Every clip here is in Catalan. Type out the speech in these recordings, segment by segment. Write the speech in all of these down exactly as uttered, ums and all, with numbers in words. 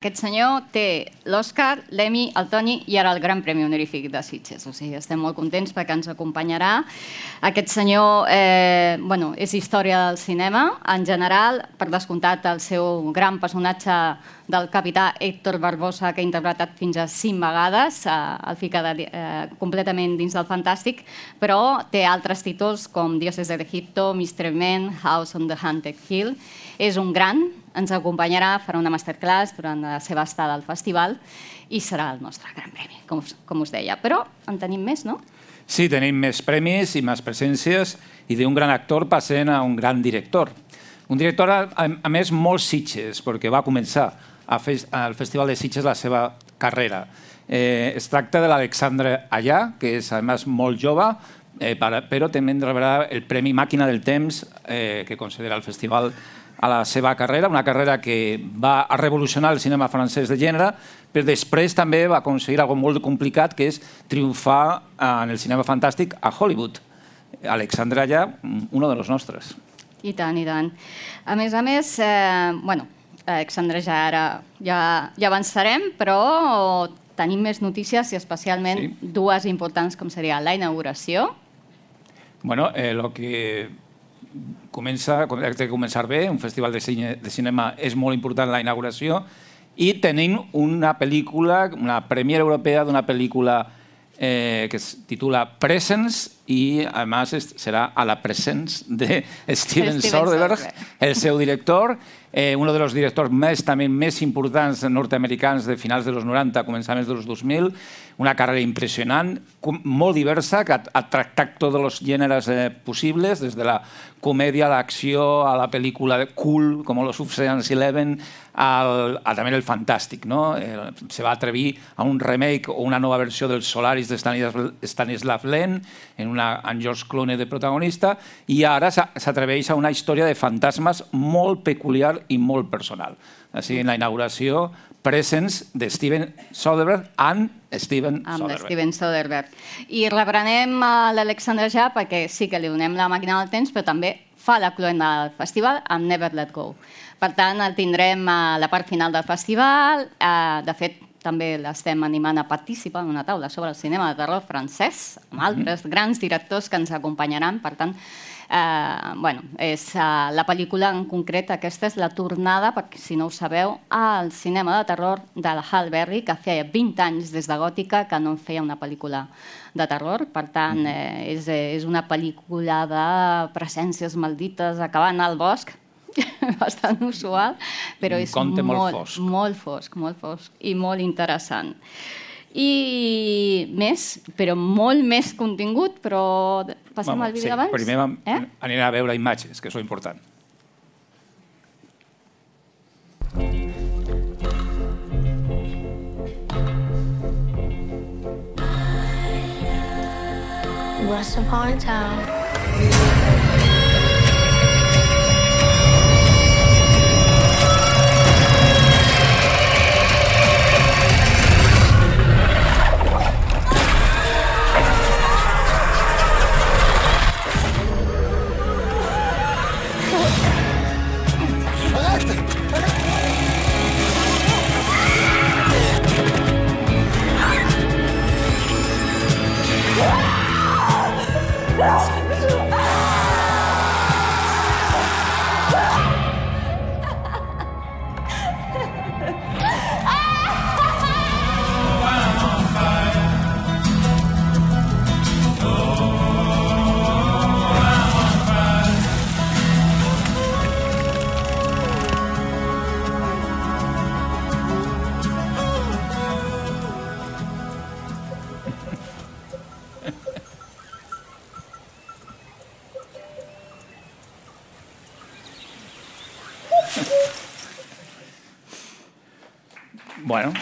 Aquest senyor té l'Oscar, l'Emmy, el Tony i ara el Gran Premi Honorífic de Sitges. O sigui, estem molt contents perquè ens acompanyarà. Aquest senyor eh, bueno, és història del cinema. En general, per descomptat, el seu gran personatge del capità Héctor Barbosa, que ha interpretat fins a cinc vegades, eh, el fica de, eh, completament dins del fantàstic, però té altres títols com Dioses d'Egipto, mister Men, House on the Haunted Hill. És un gran, ens acompanyarà, farà una masterclass durant la seva estada al festival i serà el nostre gran premi, com us, com us deia. Però en tenim més, no? Sí, tenim més premis i més presències i d'un gran actor passant a un gran director. Un director, a, a més, molt Sitges, perquè va començar a fe, al Festival de Sitges la seva carrera. Eh, es tracta de l'Alexandre Allà, que és, a més, molt jove, eh, però també rebrà el Premi Màquina del Temps eh, que considera el festival a la seva carrera, una carrera que va a revolucionar el cinema francès de gènere, però després també va aconseguir una cosa molt complicat, que és triomfar en el cinema fantàstic a Hollywood. Alexandre Allà, un dels nostres. I tant, i tant. A més a més, eh, bueno, Alexandre ja ara ja, ja avançarem, però tenim més notícies i especialment sí. dues importants, com seria la inauguració. Bueno, eh, lo que... Comença, ha de començar bé, un festival de, cine, de cinema és molt important la inauguració i tenim una pel·lícula, una premiera europea d'una pel·lícula eh, que es titula Presence i a més serà a la presence de Steven Soderbergh, el seu director, eh, un dels directors més, també més importants nord-americans de finals dels noranta, començaments dels dos mil, una carrera impressionant, molt diversa, que ha, ha tractat tots els gèneres eh, possibles, des de la comèdia, a l'acció, a la pel·lícula cool, com los Ocean's Eleven, al, a també el fantàstic. No? Eh, se va atrevir a un remake o una nova versió del Solaris de Stanisław Lem, en una, amb George Clooney de protagonista, i ara s'atreveix a una història de fantasmes molt peculiar i molt personal. Així, en la inauguració, Presence de Steven Soderbergh amb Steven Soderbergh. Amb Steven Soderbergh. I reprenem l'Alexandre Ja perquè sí que li donem la màquina del temps, però també fa la cloenda del festival amb Never Let Go. Per tant, el tindrem a la part final del festival. De fet, també l'estem animant a participar en una taula sobre el cinema de terror francès, amb altres grans directors que ens acompanyaran. Per tant, Eh, bueno, és, uh, la pel·lícula en concret, aquesta és la tornada, perquè si no ho sabeu, al cinema de terror de la Halle Berry, que feia vint anys des de Gòtica que no feia una pel·lícula de terror. Per tant, eh, és, és una pel·lícula de presències maldites acabant al bosc, bastant usual, però és molt, molt fosc. molt fosc, molt fosc i molt interessant. I més, però molt més contingut, però passem Vamos, al vídeo sí, abans? Primer vam, eh? anirem a veure imatges, que és important. Once upon a time. Bueno.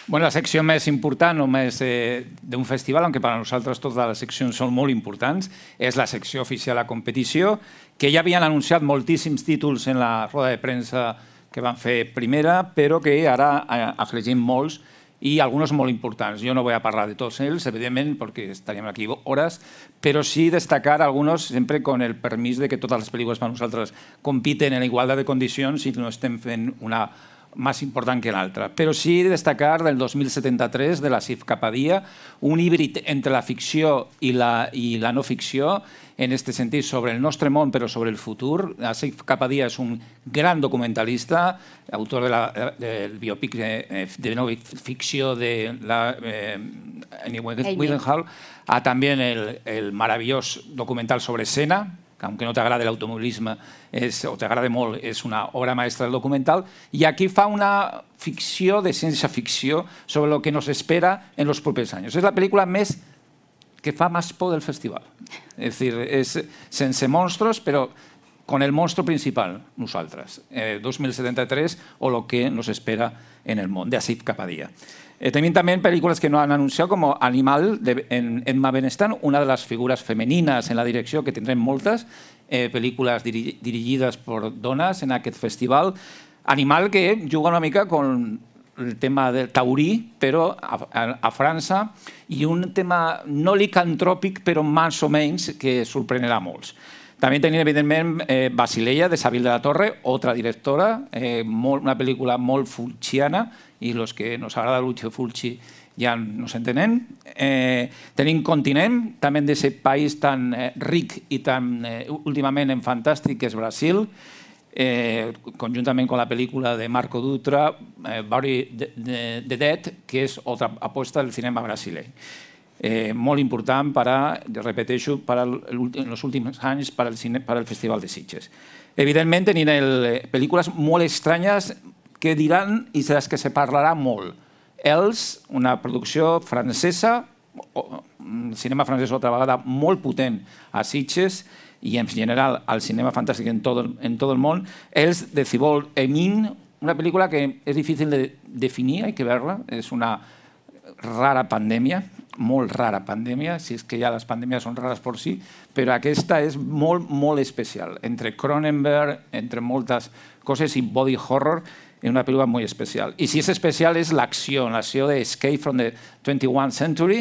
Bueno, la secció més important o més eh, d'un festival, aunque per a nosaltres totes les seccions són molt importants, és la secció oficial a competició, que ja havien anunciat moltíssims títols en la roda de premsa que van fer primera, però que ara afegim molts y algunos muy importantes. Yo no voy a hablar de todos ellos, evidentemente, porque estaríamos aquí horas, pero sí destacar algunos, siempre con el permiso de que todas las películas para nosotros compiten en igualdad de condicions i no estem fent una más important que l'altra. Però sí destacar del dos mil setanta-tres de l'Asif Kapadia, un híbrid entre la ficció i la, i la no ficció, en aquest sentit sobre el nostre món però sobre el futur. Asif Kapadia és un gran documentalista, autor de la, del biopic de, de no ficció de la eh, Amy Winehouse, a també el, el meravellós documental sobre Senna, que aunque no t'agrada l'automobilisme o t'agrada molt, és una obra maestra del documental, i aquí fa una ficció de ciència ficció sobre lo que nos espera en los propers anys. És la pel·lícula més que fa més por del festival. És dir, és sense monstruos, però con el monstruo principal, nosaltres. Eh, dos mil setanta-tres o lo que nos espera en el món, de Asif Kapadia. Eh, tenim també pel·lícules que no han anunciat, com Animal, de en Emma Benestan, una de les figures femenines en la direcció, que tindrem moltes, eh, pel·lícules diri dirigides per dones en aquest festival. Animal que juga una mica con el tema del taurí, però a, a, a França, i un tema no licantròpic, però més o menys, que sorprenderà molts. També tenim, evidentment, eh, Basileia, de Sabine de la Torre, otra directora, eh, molt, una pel·lícula molt fulciana, i los que nos agrada Lucio Fulci ja nos entenen. Eh, tenim Continent, també d'aquest país tan eh, ric i tan eh, últimament en fantàstic, que és Brasil, eh, conjuntament amb la pel·lícula de Marco Dutra, eh, Bury the, the, the Dead, que és altra aposta del cinema brasiler. Eh, molt important, para, repeteixo, para en els últims anys per al, cine, per al Festival de Sitges. Evidentment, tenim el, pel·lícules molt estranyes que diran i de les que se parlarà molt. Els, una producció francesa, cinema francès altra vegada molt potent a Sitges i en general al cinema fantàstic en tot, en tot el món. Els, de Thibault Emin, una pel·lícula que és difícil de definir, hay que verla, és una rara pandèmia, molt rara pandèmia, si és que ja les pandèmies són rares per si, però aquesta és molt, molt especial. Entre Cronenberg, entre moltes coses i body horror, és una pel·lícula molt especial. I si és especial és l'acció, l'acció de Escape from the twenty-first century,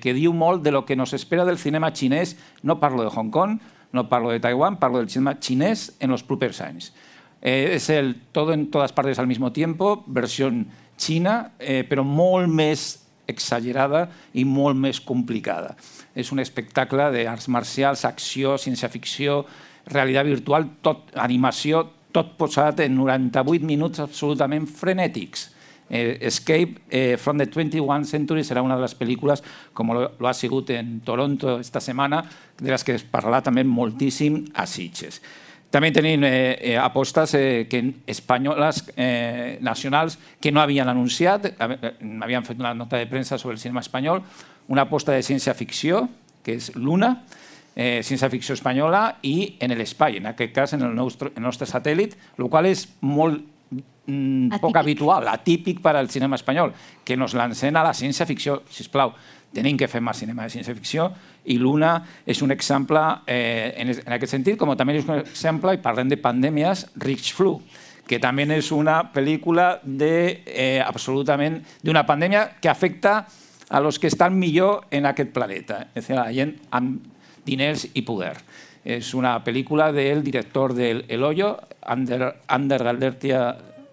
que diu molt de lo que nos espera del cinema xinès. No parlo de Hong Kong, no parlo de Taiwan, parlo del cinema xinès en els propers anys. Eh, és el Todo en todas partes al mismo tiempo, versió xina, eh, però molt més exagerada i molt més complicada. És un espectacle d'arts marcials, acció, ciència-ficció, realitat virtual, tot, animació, tot posat en noranta-vuit minuts absolutament frenètics. Eh, Escape eh, from the twenty-first century serà una de les pel·lícules, com lo, lo ha sigut en Toronto esta setmana, de les que es parlarà també moltíssim a Sitges. També tenim eh, eh, apostes eh, que espanyoles eh, nacionals que no havien anunciat, havien fet una nota de premsa sobre el cinema espanyol, una aposta de ciència-ficció, que és Luna, eh, ciència-ficció espanyola, i en l'espai, en aquest cas en el nostre, el nostre satèl·lit, el qual és molt mm, poc habitual, atípic per al cinema espanyol, que nos lancen a la ciència-ficció, sisplau. Tenim que fer més cinema de ciència-ficció i Luna és un exemple eh, en, en aquest sentit, com també és un exemple, i parlem de pandèmies, Rich Flu, que també és una pel·lícula de, eh, absolutament d'una pandèmia que afecta a los que estan millor en aquest planeta, és a dir, la gent amb diners i poder. És una pel·lícula del director del El Hoyo, Ander, Ander Galdertia,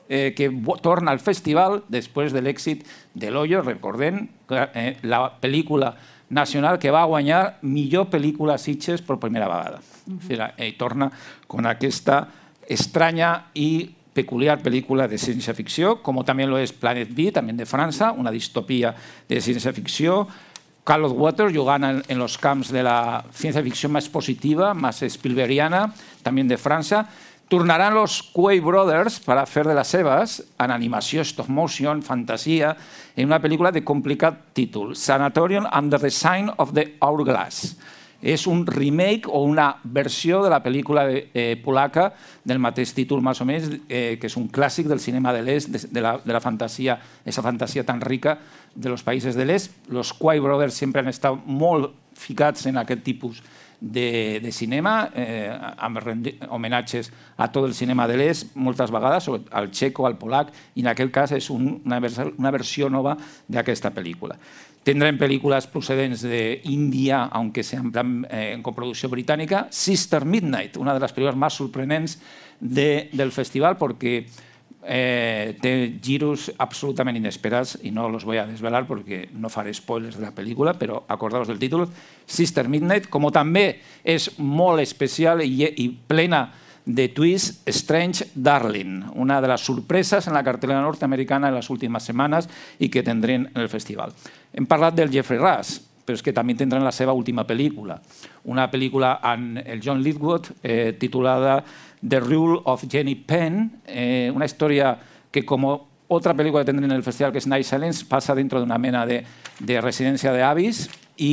Eh, que torna al festival després de l'èxit de l'Hoyo, recordem, eh, la pel·lícula nacional que va guanyar millor pel·lícula a Sitges per primera vegada. Uh-huh. eh, torna con aquesta estranya i peculiar pel·lícula de ciència-ficció, com també lo és Planet B, també de França, una distopia de ciència-ficció. Carlos Waters jugant en, en los camps de la ciència-ficció més positiva, més Spielbergiana, també de França. Tornaran los Coen Brothers per a fer de les seves en animació, stop motion, fantasia, en una pel·lícula de complicat títol, Sanatorium under the Sign of the Hourglass. És un remake o una versió de la pel·lícula eh, polaca del mateix títol, més o menys, eh, que és un clàssic del cinema de l'est, de, de, la, de la fantasia, aquesta fantasia tan rica de los països de l'est. Los Coen Brothers sempre han estat molt ficats en aquest tipus de, de cinema, eh, amb homenatges a tot el cinema de l'est, moltes vegades, al txeco, al polac, i en aquest cas és un, una, una versió nova d'aquesta pel·lícula. Tendrem pel·lícules procedents d'Índia, aunque sean eh, en coproducció britànica. Sister Midnight, una de les pel·lícules més sorprenents de, del festival, perquè Eh, té giros absolutament inesperats i no los voy a desvelar perquè no faré spoilers de la pel·lícula, però acordaos del títol, Sister Midnight, com també és molt especial i, i plena de twist, Strange Darling, una de les sorpreses en la cartelera nord-americana en les últimes setmanes i que tindrem en el festival. Hem parlat del Jeffrey Rush, però és que també tindran la seva última pel·lícula, una pel·lícula amb el John Lithgow eh, titulada The Rule of Jenny Penn, eh, una història que, com otra pel·lícula que tendré en el festival, que és Night Silence, passa dintre d'una mena de, de residència d'avis i,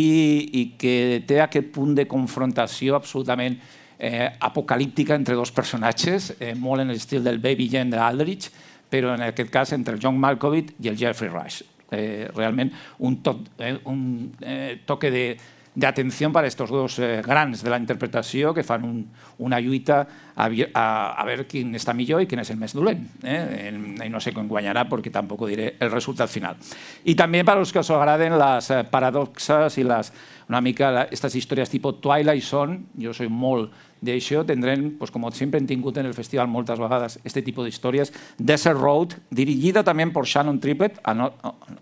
i que té aquest punt de confrontació absolutament eh, apocalíptica entre dos personatges, eh, molt en l'estil del Baby Jane d'Aldrich, però en aquest cas entre el John Malkovich i el Jeffrey Rush. Eh, realment un, to eh, un eh, toque de de atenció per a aquests dos eh, grans de la interpretació que fan un, una lluita a, a, a veure quin està millor i quin és el més dolent. Eh? I no sé com guanyarà perquè tampoc diré el resultat final. I també per als que us agraden les paradoxes i les, una mica aquestes històries tipus Twilight Zone, jo soy molt d'això, tindrem, pues, com sempre hem tingut en el festival moltes vegades, aquest tipus d'històries. Desert Road, dirigida també per Shannon Triplett,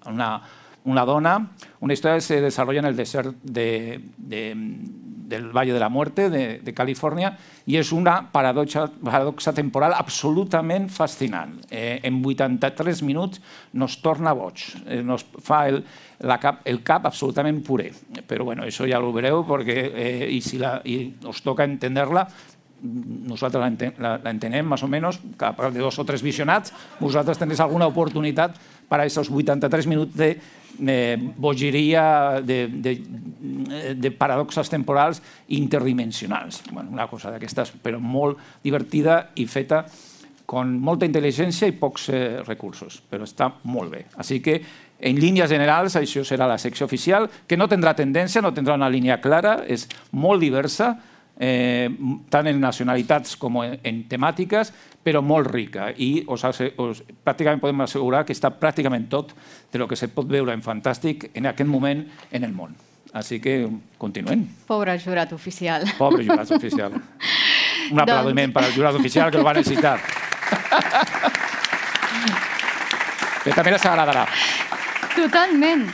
una una dona, una història que se desarrolla en el desert de, de, del Valle de la Muerte de, de Califòrnia i és una paradoxa, paradoxa temporal absolutament fascinant. Eh, en vuitanta-tres minuts nos torna boig, eh, nos fa el, la cap, el cap absolutament puré. Però bueno, això ja ho veureu perquè eh, i si la, i us toca entendre-la, nosaltres l'entenem més o menys, cap de dos o tres visionats, vosaltres teniu alguna oportunitat per a aquests vuitanta-tres minuts de eh, bogeria, de, de, de paradoxes temporals interdimensionals. Bueno, una cosa d'aquestes, però molt divertida i feta amb molta intel·ligència i pocs eh, recursos, però està molt bé. Així que, en línies generals, això serà la secció oficial, que no tindrà tendència, no tindrà una línia clara, és molt diversa, Eh, tant en nacionalitats com en, en temàtiques, però molt rica. I us, us, pràcticament podem assegurar que està pràcticament tot de lo que se pot veure en Fantàstic en aquest moment en el món. Així que continuem. Pobre jurat oficial. Pobre jurat oficial. Un aplaudiment per al jurat oficial que el va necessitar. Que també les agradarà. Totalment.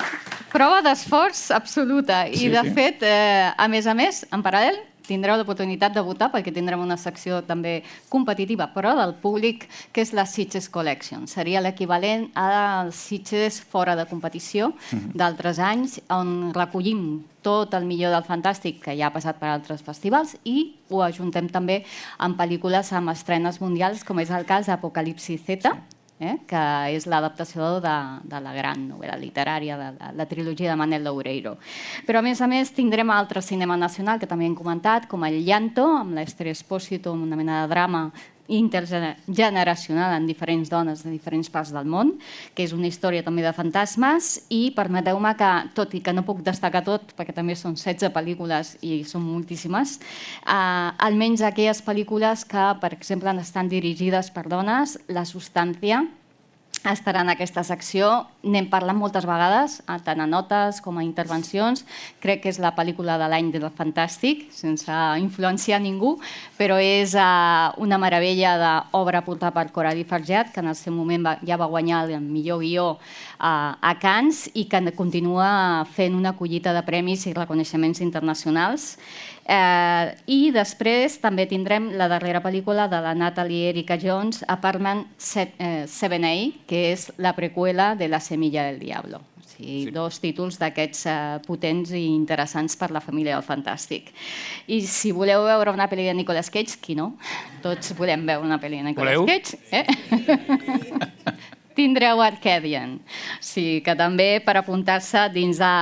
Prova d'esforç absoluta. I, Sí, de sí. fet, eh, a més a més, en paral·lel, tindreu l'oportunitat de votar perquè tindrem una secció també competitiva, però del públic, que és la Sitges Collection. Seria l'equivalent als Sitges fora de competició d'altres anys, on recollim tot el millor del Fantàstic que ja ha passat per altres festivals i ho ajuntem també amb pel·lícules amb estrenes mundials, com és el cas d'Apocalipsi Z, eh, que és l'adaptació de, de la gran novel·la literària, de, de la trilogia de Manel Loureiro. Però, a més a més, tindrem altre cinema nacional que també hem comentat, com el Llanto, amb l'Ester Espósito, amb una mena de drama intergeneracional en diferents dones de diferents parts del món, que és una història també de fantasmes, i permeteu-me que, tot i que no puc destacar tot, perquè també són setze pel·lícules i són moltíssimes, eh, almenys aquelles pel·lícules que, per exemple, estan dirigides per dones, La Substància estarà en aquesta secció. N'hem parlat moltes vegades, tant a notes com a intervencions. Crec que és la pel·lícula de l'any del Fantàstic, sense influenciar ningú, però és una meravella d'obra portada per Coralie Fargeat, que en el seu moment ja va guanyar el millor guió a Cannes i que continua fent una collita de premis i reconeixements internacionals. Eh, I després també tindrem la darrera pel·lícula de la Natalie Erica Jones, Apartment seven A, que és la preqüela de La Semilla del Diablo. O sigui, sí. Dos títols d'aquests eh, potents i interessants per la família del Fantàstic. I si voleu veure una pel·li de Nicolas Cage, qui no? Tots volem veure una pel·li de Nicolas voleu? Cage. Eh? tindreu Arcadian. Sí, que també per apuntar-se dins de,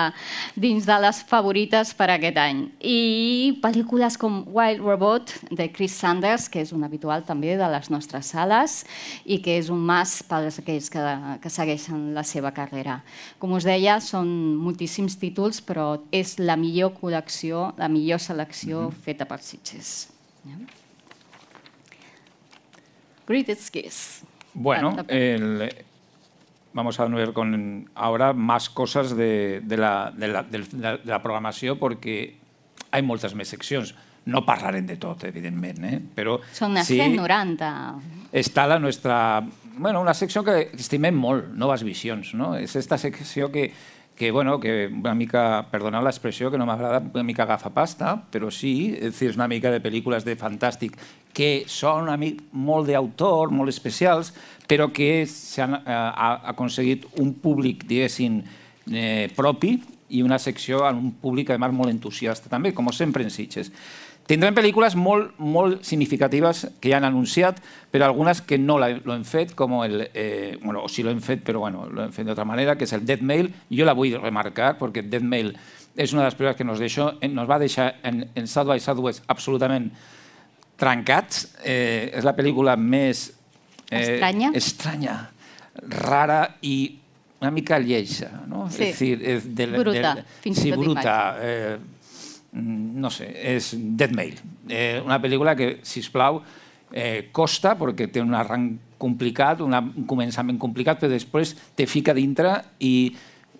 dins de les favorites per aquest any. I pel·lícules com Wild Robot, de Chris Sanders, que és un habitual també de les nostres sales i que és un mas per aquells que, que segueixen la seva carrera. Com us deia, són moltíssims títols, però és la millor col·lecció, la millor selecció mm-hmm. feta per Sitges. Yeah. Greatest Kiss. Bueno, el, vamos a ver con ahora más cosas de, de, la, de, la, de, la, de la programació perquè hi ha moltes més seccions. No parlarem de tot, evidentment, eh? Però són unes sí, cent noranta. Està la nostra... Bueno, una secció que estimem molt, Noves Visions, no? És esta secció que, que, bueno, que una mica, perdoneu l'expressió, que no m'agrada, una mica agafa pasta, però sí, és, dir, és una mica de pel·lícules de fantàstic que són una mica, molt d'autor, molt especials, però que s'han eh, aconseguit un públic, diguéssim, eh, propi i una secció amb un públic, a més, molt entusiasta, també, com sempre en Sitges. Tindrem pel·lícules molt, molt significatives que ja han anunciat, però algunes que no l'hem fet, com el... Eh, bueno, o sí l'hem fet, però bueno, l'hem fet d'altra manera, que és el Death Mail. Jo la vull remarcar, perquè Death Mail és una de les pel·lícules que nos, deixó, nos va deixar en, en South by Southwest absolutament trencats. Eh, és la pel·lícula més... Eh, estranya. Estranya, rara i una mica lleixa, no? Sí, és dir, és de, bruta. De, fins sí, i tot bruta. Eh, no sé, és Death Mail. Eh, una pel·lícula que, sisplau, eh, costa, perquè té un arranc complicat, una, un començament complicat, però després te fica dintre i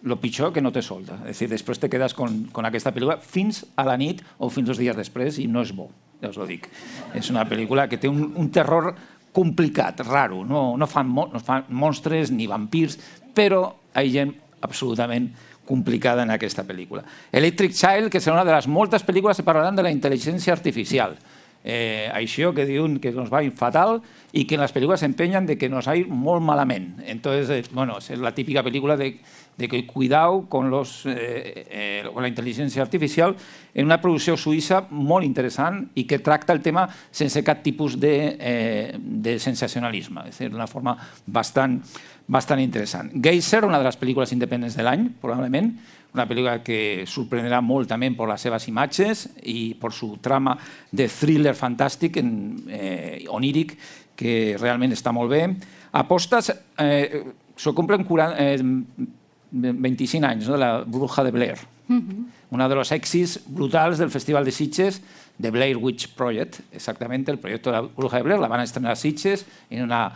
el pitjor que no te solta. És dir, després te quedes con, con aquesta pel·lícula fins a la nit o fins dos dies després i no és bo, ja us ho dic. És una pel·lícula que té un, un terror complicat, raro. No, no, fan, no fan monstres ni vampirs, però hi ha gent absolutament complicada en aquesta pel·lícula. Electric Child, que serà una de les moltes pel·lícules que parlaran de la intel·ligència artificial. Eh, això que diuen que nos va ir fatal i que en les pel·lícules s'empenyen de que nos va ir molt malament. Entonces, eh, bueno, és la típica pel·lícula de, de que cuidao con, los, eh, eh, con la intel·ligència artificial en una producció suïssa molt interessant i que tracta el tema sense cap tipus de, eh, de sensacionalisme. És a dir, d'una forma bastant, bastant interessant. Geyser, una de les pel·lícules independents de l'any, probablement, una pel·lícula que sorprendrà molt també per les seves imatges i per su trama de thriller fantàstic, eh, oníric, que realment està molt bé. Apostes, eh, s'ho compren quaranta, eh, vint-i-cinc anys, no? De la Bruja de Blair. Uh-huh. Una de los èxits brutals del Festival de Sitges, de Blair Witch Project, exactament, el projecte de la Bruja de Blair, la van estrenar a Sitges en una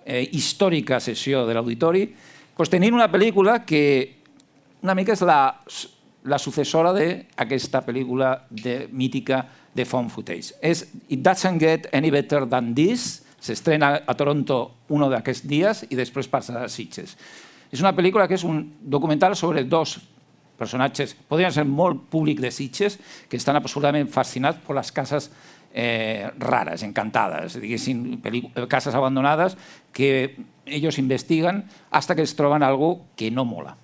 eh, històrica sessió de l'auditori. Pues tenint una pel·lícula que una mica és la, la successora d'aquesta pel·lícula de, mítica de Found Footage. És It Doesn't Get Any Better Than This, s'estrena a Toronto un d'aquests dies i després passa a Sitges. És una pel·lícula que és un documental sobre dos personatges, podrien ser molt públic de Sitges, que estan absolutament fascinats per les cases eh, rares, encantades, diguéssim, cases abandonades que ells investiguen fins que es troben algo que no mola.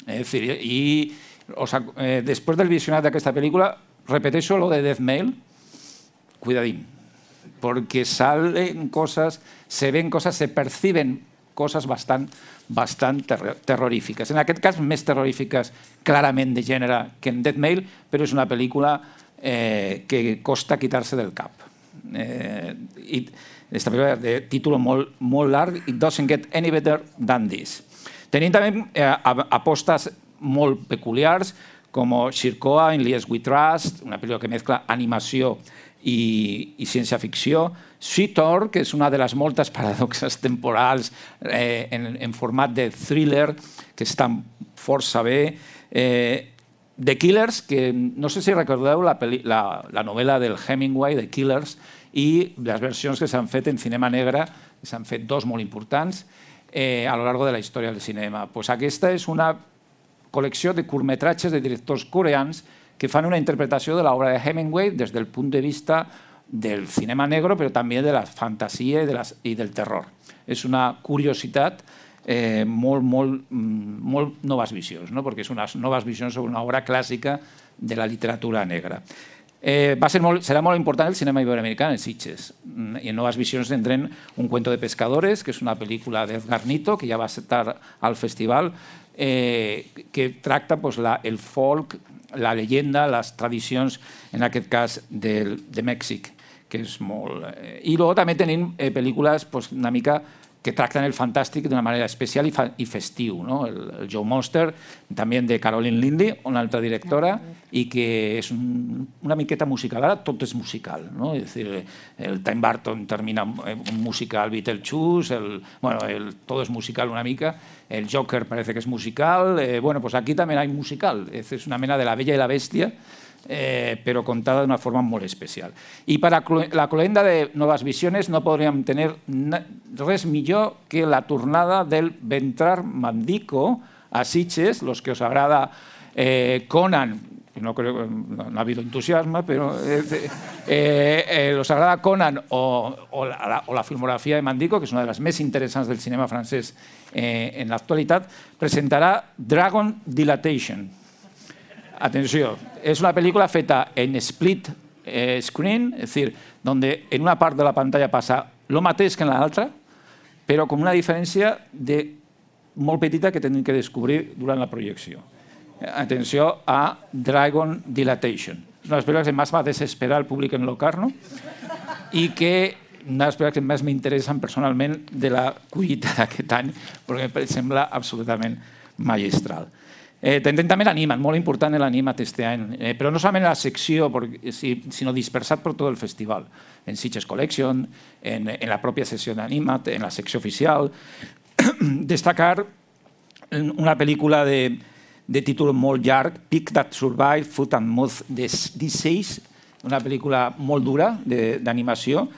Es decir, y o sea, eh, después del visionat d'aquesta pel·lícula, repeteixo lo de Death Mail, cuidadín, porque salen cosas, se ven cosas, se perciben cosas bastant, bastant ter terrorífiques. En aquest cas, més terrorífiques clarament de gènere que en Death Mail, però és una pel·lícula eh, que costa quitar-se del cap. Eh, i esta pel·lícula de títol molt, molt larg, It Doesn't Get Any Better Than This. Tenim també eh, apostes molt peculiars, com Shirkoa en Lies We Trust, una pel·lícula que mescla animació i, i ciència-ficció. Sweet Thor, que és una de les moltes paradoxes temporals eh, en, en format de thriller, que està força bé. Eh, The Killers, que no sé si recordeu la, la, la novel·la del Hemingway, The Killers, i les versions que s'han fet en cinema negre, que s'han fet dos molt importants, Eh, a lo largo de la història del cinema. Pues aquesta és una col·lecció de curtmetratges de directors coreans que fan una interpretació de l'obra de Hemingway des del punt de vista del cinema negro, però també de la fantasia i, de les, i del terror. És una curiositat eh, molt, molt, molt noves visions, no? Perquè és unes noves visions sobre una obra clàssica de la literatura negra. Eh, va ser molt, serà molt important el cinema iberoamericà en Sitges. I en Noves Visions tindrem Un cuento de pescadores, que és una pel·lícula d'Edgar Nito, que ja va estar al festival, eh, que tracta pues, la, el folk, la llegenda, les tradicions, en aquest cas, de, de Mèxic, que és molt... Eh, I després també tenim eh, pel·lícules pues, una mica que tracten el fantàstic d'una manera especial i, fa, i festiu. No? El, el Joe Monster, també de Caroline Lynley, una altra directora, i que és un, una miqueta musical. Ara tot és musical. No? És dir, el Tim Burton termina un musical Beetlejuice, el, bueno, el, tot és musical una mica, el Joker parece que és musical, eh, bueno, pues aquí també hi ha musical. És una mena de La Bella i la Bèstia, Eh, però contada d'una forma molt especial. I per a la cloenda de Noves Visiones no podríem tenir res millor que la tornada del Ventrar Mandico a Sitges, los que os agrada eh, Conan, no creo, no, no ha habido entusiasmo, pero eh, eh, eh, os agrada Conan o, o, la, o la filmografia de Mandico, que és una de les més interessants del cinema francès eh, en l'actualitat, presentarà Dragon Dilatation. Atenció, es una película feta en split eh, screen, es decir, donde en una part de la pantalla passa lo mateix que en l'altra, però con una diferència de molt petita que tenen que descobrir durant la projecció. Atenció a Dragon Dilatation. És una de les pel·lícules que més va desesperar el públic en locar-no i que una de les pel·lícules que més m'interessen personalment de la collita d'aquest any, perquè em sembla absolutament magistral. Eh, tendrem també l'Animat, molt important l'Animat este any, eh, però no solament en la secció, porque, sinó dispersat per tot el festival, en Sitges Collection, en, en la pròpia sessió d'Animat, en la secció oficial. Destacar una pel·lícula de, de títol molt llarg, Pig That Survived Foot and Mouth Disease, una pel·lícula molt dura d'animació,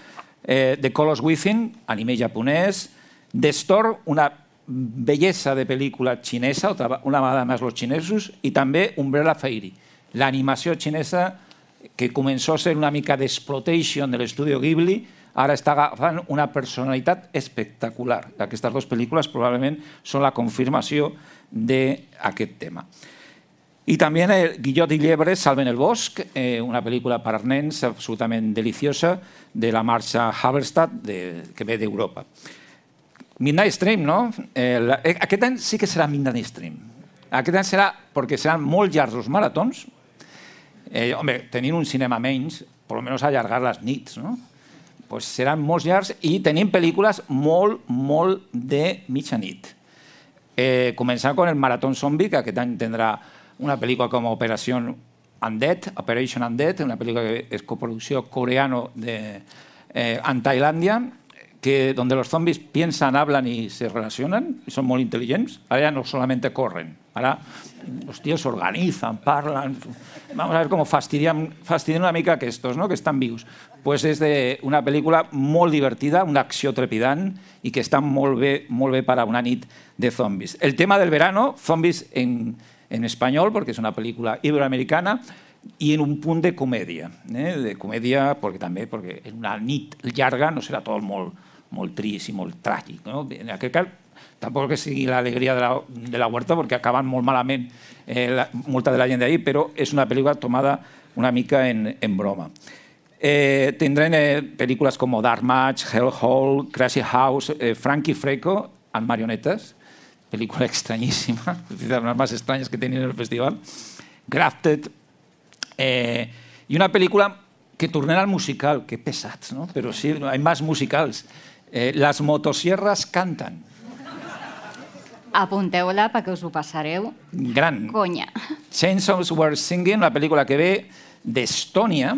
eh, The Colors Within, anime japonès, The Store, una bellesa de pel·lícula xinesa, una vegada més els xinesos, i també Umbrella Fairy, l'animació xinesa que començó a ser una mica d'exploitation de l'estudio Ghibli, ara està agafant una personalitat espectacular. Aquestes dues pel·lícules probablement són la confirmació d'aquest tema. I també Guillot i Llebre salven el bosc, una pel·lícula per nens absolutament deliciosa de la Marsha Halberstadt, que ve d'Europa. Midnight Stream, no? Eh, la, eh, aquest any sí que serà Midnight Stream. Aquest any serà, perquè seran molt llargs els maratons. Eh, home, tenint un cinema menys, per almenys allargar les nits, no? Pues seran molt llargs i tenim pel·lícules molt, molt de mitjanit. Eh, començant amb el Maratón Zombie, que aquest any tindrà una pel·lícula com Operació Undead, Operation Undead, una pel·lícula que és coproducció coreano de, eh, en Tailàndia, que donde los zombies piensan, hablan y se relacionan, y son muy inteligentes. Ahora ya no solamente corren, ahora los tíos se organizan, parlan. Vamos a ver cómo fastidian, fastidian una mica aquestos, ¿no? Que están vivos. Pues és de una pel·lícula molt divertida, una acció trepidant i que està molt bé, molt bé per a una nit de zombies. El tema del verano, zombies en, en espanyol, perquè és una pel·lícula iberoamericana, i en un punt de comèdia. Eh? De comèdia, perquè també perquè en una nit llarga no serà tot molt, molt trist i molt tràgic. No? En aquest cas, tampoc que sigui l'alegria de, la, de la huerta, perquè acaben molt malament eh, la, molta de la gent d'ahir, però és una pel·lícula tomada una mica en, en broma. Eh, tindrem eh, pel·lícules com Dark Match, Hellhole, Crazy House, eh, Frankie Freco, en marionetes, pel·lícula estranyíssima, de les més estranyes que tenien en el festival, Grafted, eh, i una pel·lícula que tornarà al musical, que pesats, no? Però sí, hay más musicals. Eh, Las motosierras cantan. Apunteu-la perquè us ho passareu. Gran. Conya. Chainsaws Were Singing, una pel·lícula que ve d'Estònia,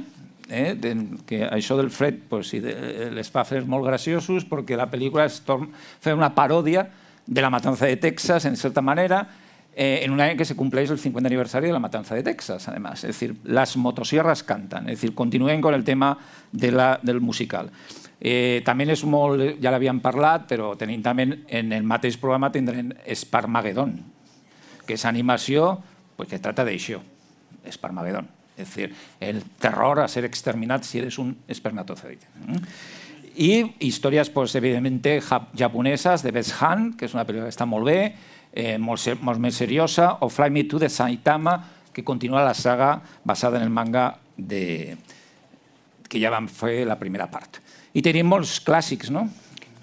eh, de, que això del fred pues, sí, de, les fa fer molt graciosos perquè la pel·lícula es fa una paròdia de la matanza de Texas, en certa manera, eh, en un any que se compleix el cincuenta aniversario de la matanza de Texas, además. Es decir, las motosierras cantan. Es decir, continuen con el tema de la, del musical. Eh, també és molt, ja l'havíem parlat, però tenim també en el mateix programa tindrem Sparmageddon, que és animació pues, que trata d'això, Sparmageddon. Es decir, el terror a ser exterminat si eres un espermatozoide. I històries, pues, evidentment, japoneses, de Best Han, que és una pel·lícula que està molt bé, eh, molt, molt més seriosa, o Fly Me to the Saitama, que continua la saga basada en el manga de, que ja vam fer la primera part. I tenim molts clàssics, no?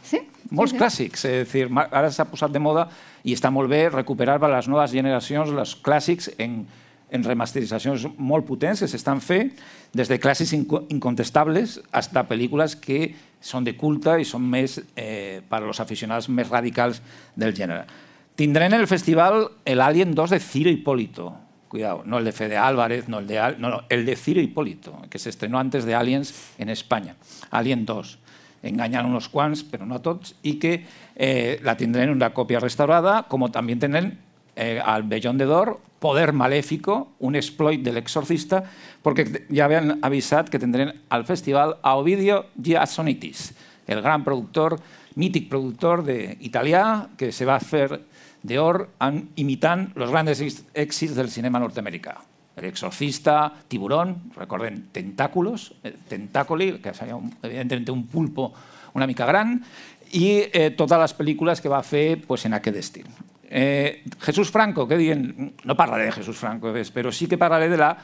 Sí. Molts sí, sí. clàssics. És dir, ara s'ha posat de moda i està molt bé recuperar per a les noves generacions els clàssics en, en remasteritzacions molt potents que s'estan fent, des de clàssics incontestables fins a pel·lícules que són de culte i són més eh, per als aficionats més radicals del gènere. Tindrem en el festival l'Alien dos de Ciro Hipólito. Cuidado, no el de Fede Álvarez, no el de, no, no, el de Ciro Hipólito, que se estrenó antes de Aliens en España. Alien dos. Engañan unos quants, però no a tots, i que eh, la tindrem en una còpia restaurada, com també tindrem eh, al Bellón de Dor, Poder Maléfico, un exploit de l'exorcista, perquè ja havien avisat que tindrem al festival a Ovidio Giassonitis, el gran productor, mític productor de, italià, que se va fer d'or imitant els grans èxits del cinema nord-americà. El Exorcista, Tiburón, recorden Tentáculos, Tentácoli, que seria un, evidentment un pulpo una mica gran, i eh, totes les pel·lícules que va fer pues, en aquest estil. Eh, Jesús Franco, què diuen? No parlaré de Jesús Franco, però sí que parlaré de la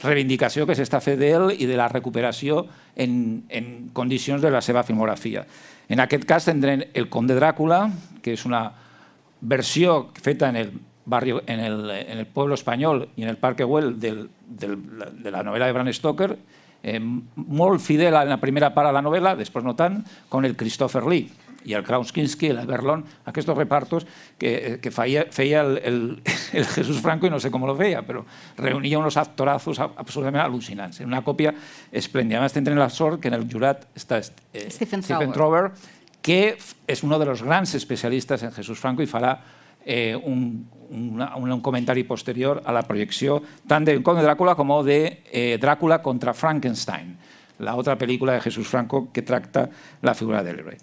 reivindicació que s'està fent d'ell i de la recuperació en, en condicions de la seva filmografia. En aquest cas tindrem El Conde Dràcula, que és una versió feta en el barrio, en el, en el pueblo español y en el Parque Güell del, del, de la novela de Bram Stoker, eh, molt fidel en la primera part a la novel·la, després no tant, con el Christopher Lee i el Klaus Kinski, el Berlón, aquests repartos que, que feia, feia el, el, el Jesús Franco i no sé com lo feia, però reunia uns actorazos absolutament al·lucinants. En una còpia esplèndida. A més, tindrem la sort que en el jurat està eh, Stephen Stephen Trower, que és un dels grans especialistes en Jesús Franco i farà eh, un, una, un comentari posterior a la projecció tant del Conde Dràcula com de eh, Dràcula contra Frankenstein, la otra película de Jesús Franco que tracta la figura del héroe.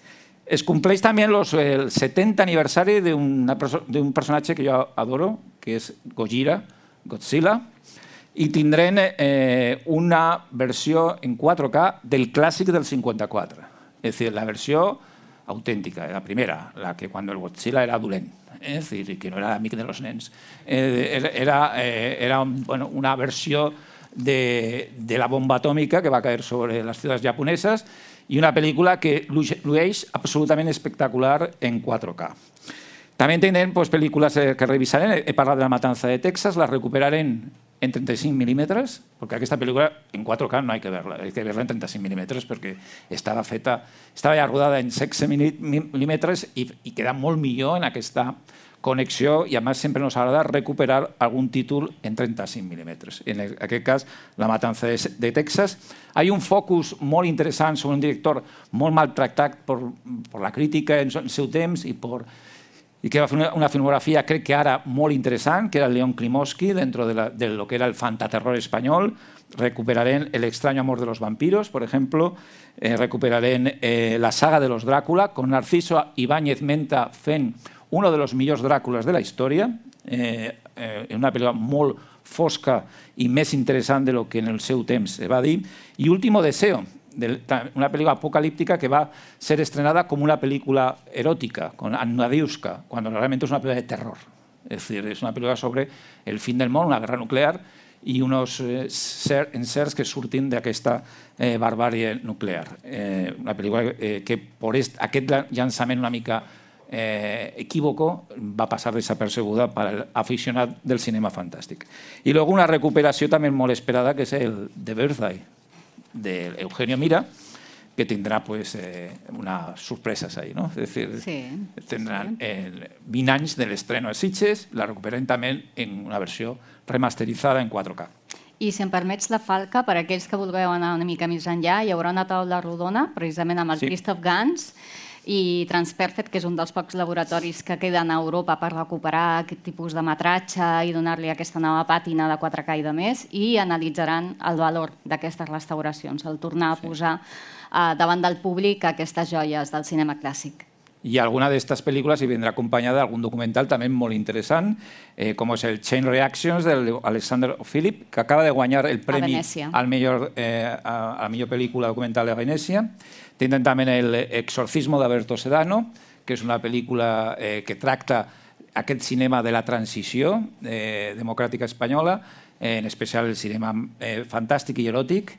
Es compleix també los, el setenta aniversari d'un personatge que jo adoro, que és Gojira, Godzilla, i tindrem eh, una versió en quatre K del clàssic del cinquanta-quatre. És a dir, la versió autèntica, la primera, la que quan el Godzilla era dolent, eh? És dir, que no era amic de los nens. Eh, era eh, era bueno, una versió de, de la bomba atòmica que va caer sobre les ciutats japoneses i una pel·lícula que llueix absolutament espectacular en quatre K. També tenen pues, pel·lícules que revisarem. He parlat de La matanza de Texas, la recuperarem en trenta-cinc mil·límetres, perquè aquesta pel·lícula en quatre K no hay que verla, hay que verla en trenta-cinc mil·límetres perquè estava feta, estava ja rodada en setze mil·límetres i, i queda molt millor en aquesta connexió i a més sempre ens agrada recuperar algun títol en trenta-cinc mil·límetres. En aquest cas, La matanza de, de Texas. Hay un focus molt interessant sobre un director molt maltractat per, per la crítica en el seu temps i per y que va a hacer una, una filmografía, creo que ahora muy interesante, que era León Klimovsky, dentro de, la, de lo que era el fantaterror español. Recuperaré El extraño amor de los vampiros, por ejemplo. Eh, recuperaré eh, la saga de los Drácula, con Narciso Ibáñez Menta fent uno de los millors Dràcules de la història, eh, eh, en una pel·lícula molt fosca i més interessant de lo que en el seu temps se va dir. I Último Deseo, una película apocalíptica que va a ser estrenada como una película erótica, con Annadiuska, cuando realmente es una película de terror. Es decir, es una película sobre el fin del món, una guerra nuclear, i uns eh, ser, encerts que surtin d'aquesta eh, barbàrie nuclear. Eh, una pel·lícula eh, que per est, aquest llançament una mica eh, equívoco va passar desapercebuda per l'aficionat del cinema fantàstic. I luego una recuperació també molt esperada, que és el The Birthday, de Eugenio Mira, que tindrà pues, eh, unas sorpresas ahí, ¿no? Es decir, sí, tendrán sí. Eh, vint anys de l'estreno de Sitges, la recuperen també en una versió remasterizada en quatre K. I si em permets la falca, per aquells que vulgueu anar una mica més enllà, hi haurà una taula rodona, precisament amb el sí. Christoph Gans i Transperfect, que és un dels pocs laboratoris que queden a Europa per recuperar aquest tipus de metratge i donar-li aquesta nova pàtina de quatre K i de més, i analitzaran el valor d'aquestes restauracions, el tornar a posar eh, davant del públic aquestes joies del cinema clàssic. Y alguna de estas películas y vendrá acompañada de algún documental también muy interesante, eh, como es el Chain Reactions de Alexander Philip, que acaba de guanyar el premi al millor, eh, a, a la millor pel·lícula documental de Venècia. Tenen també el Exorcismo de Alberto Sedano, que és una pel·lícula eh, que tracta aquest cinema de la transició eh, democràtica espanyola, eh, en especial el cinema eh, fantàstic i eròtic.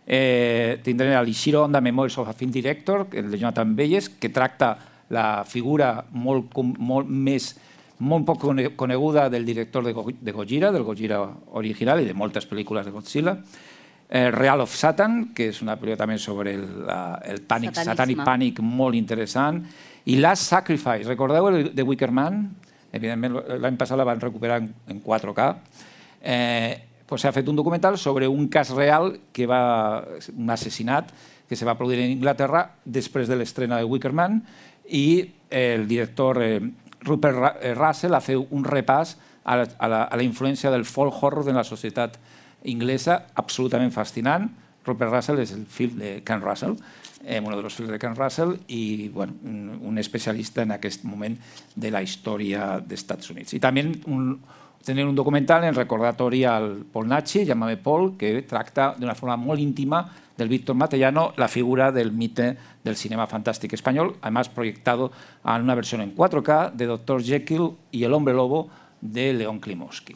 Eh, tindrem l'Ishiro Honda Memories of a Film Director, el de Jonathan Bayes, que tracta la figura molt, molt més molt poc coneguda del director de, Go de Gojira, del Gojira original i de moltes pel·lícules de Godzilla. Eh, Real of Satan, que és una pel·lícula també sobre el, la, el pànic, satànic pànic molt interessant. I Last Sacrifice, recordeu el de Wicker Man? Evidentment, l'any passat la van recuperar en, en quatre K. Eh, pues s'ha fet un documental sobre un cas real, que va, un assassinat que se va produir en Inglaterra després de l'estrena de Wicker Man, i el director eh, Rupert Russell ha fet un repàs a la, a, la, a la influència del folk horror en la societat inglesa, absolutament fascinant. Rupert Russell és el fill de Ken Russell, eh, un dels fills de Ken Russell, i bueno, un, un especialista en aquest moment de la història dels Estats Units. I també un, tenen un documental en recordatori al Paul Nachi, Llámame Paul, que tracta d'una forma molt íntima del Víctor Matellano la figura del mite del cinema fantástico español, además proyectado en una versión en cuatro K de doctor Jekyll y el Hombre Lobo de León Klimovsky.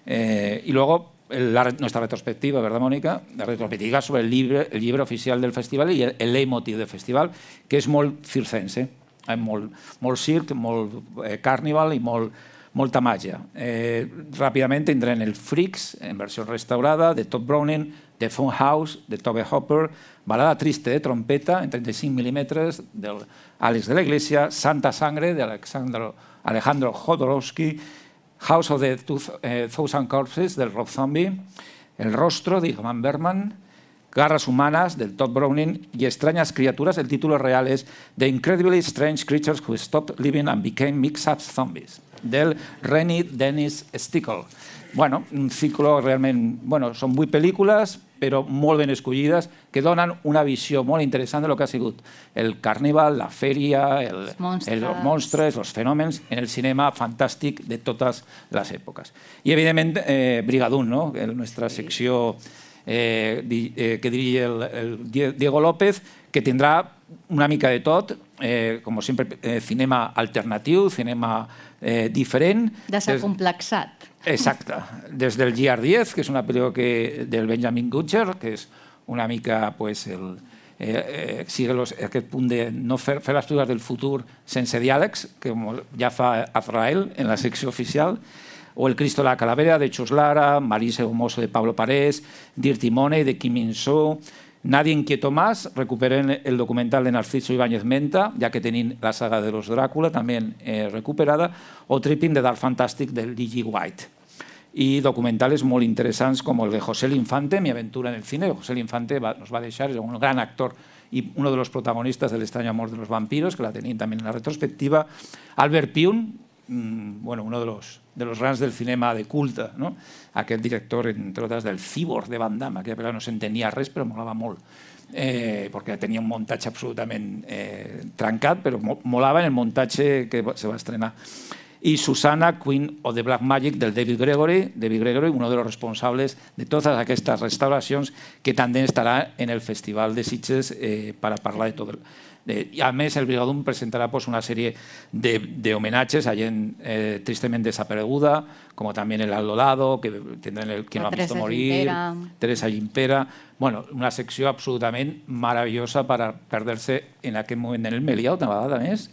Eh, y luego la, nuestra retrospectiva, ¿verdad, Mónica? La retrospectiva sobre el libro, el libro oficial del festival y el, el leitmotiv del festival, que és molt circense, eh, molt, molt circ, molt eh, carnival i molt, molta màgia. Eh, ràpidament tindrem el Freaks, en versió restaurada, de Todd Browning, The Funhouse, de Tobe Hopper, Balada triste de trompeta, en treinta-cinc mil·límetres, d'Àlex de la Iglesia, Santa Sangre, de Alejandro Jodorowsky, House of the Thousand Corpses, del Rob Zombie, El Rostro, de Ingmar Bergman, Garras Humanas, del Todd Browning, y Extrañas Criaturas, el título real es The Incredibly Strange Creatures Who Stopped Living and Became Mix-Up Zombies, del Rennie Dennis Stickle. Bueno, un ciclo realment... Bueno, són vuit pel·lícules, però molt ben escollides, que donen una visió molt interessant de lo que ha sigut el carnaval, la fèria, el, els monstres, els fenòmens en el cinema fantàstic de totes les èpoques. I, evidentment, eh, Brigadoon, no? La nostra secció eh, eh, que dirige el, el Diego López, que tindrà una mica de tot, eh, com sempre, eh, cinema alternatiu, cinema eh, diferent. Desacomplexat. Exacte. Des del G R diez, que és una pel·lícula que, del Benjamin Butcher, que és una mica pues, el, eh, eh, sigue los, aquest punt de no fer, fer les pel·lícules del futur sense diàlegs, que ja fa Azrael en la secció oficial, o El Cristo de la Calavera, de Chus Lara, Marisa Hermoso, de Pablo Parés, Dirty Money, de Kim Min-soo, Nadie inquieto más, recuperen el documental de Narciso Ibáñez Menta, ya que tenían la saga de los Drácula también eh, recuperada, o Tripping de Dark Fantastic del D G White. Y documentales molt interessants com el de José Infante, Mi aventura en el cine. José Infante va, nos va a dejar, es un gran actor y uno de los protagonistas del extraño amor de los vampiros, que la tenían también en la retrospectiva. Albert Pyun, mmm, bueno, uno de los, de los grans del cinema de culte, no? Aquest director, entre otras, del Cyborg de Van Damme. Aquella pel·lícula no s'entenia res, però molava molt. Eh, perquè tenia un muntatge absolutament eh, trencat, però molava en el muntatge que se va estrenar. Y Susana, Queen of the Black Magic, del David Gregory, David Gregory, uno de los responsables de todas aquestes restauracions, que també estarà en el Festival de Sitges eh, para parlar de tot. De, y a més, el Brigadoon presentarà pues, una sèrie de, de homenatges a gent eh, tristement desapareguda, com també el Aldo Lado, que tindrem el Que no ha visto morir, Teresa Gimpera. Bueno, una secció absolutament meravellosa per a perdre-se en aquest moment en el Melià, una vegada més,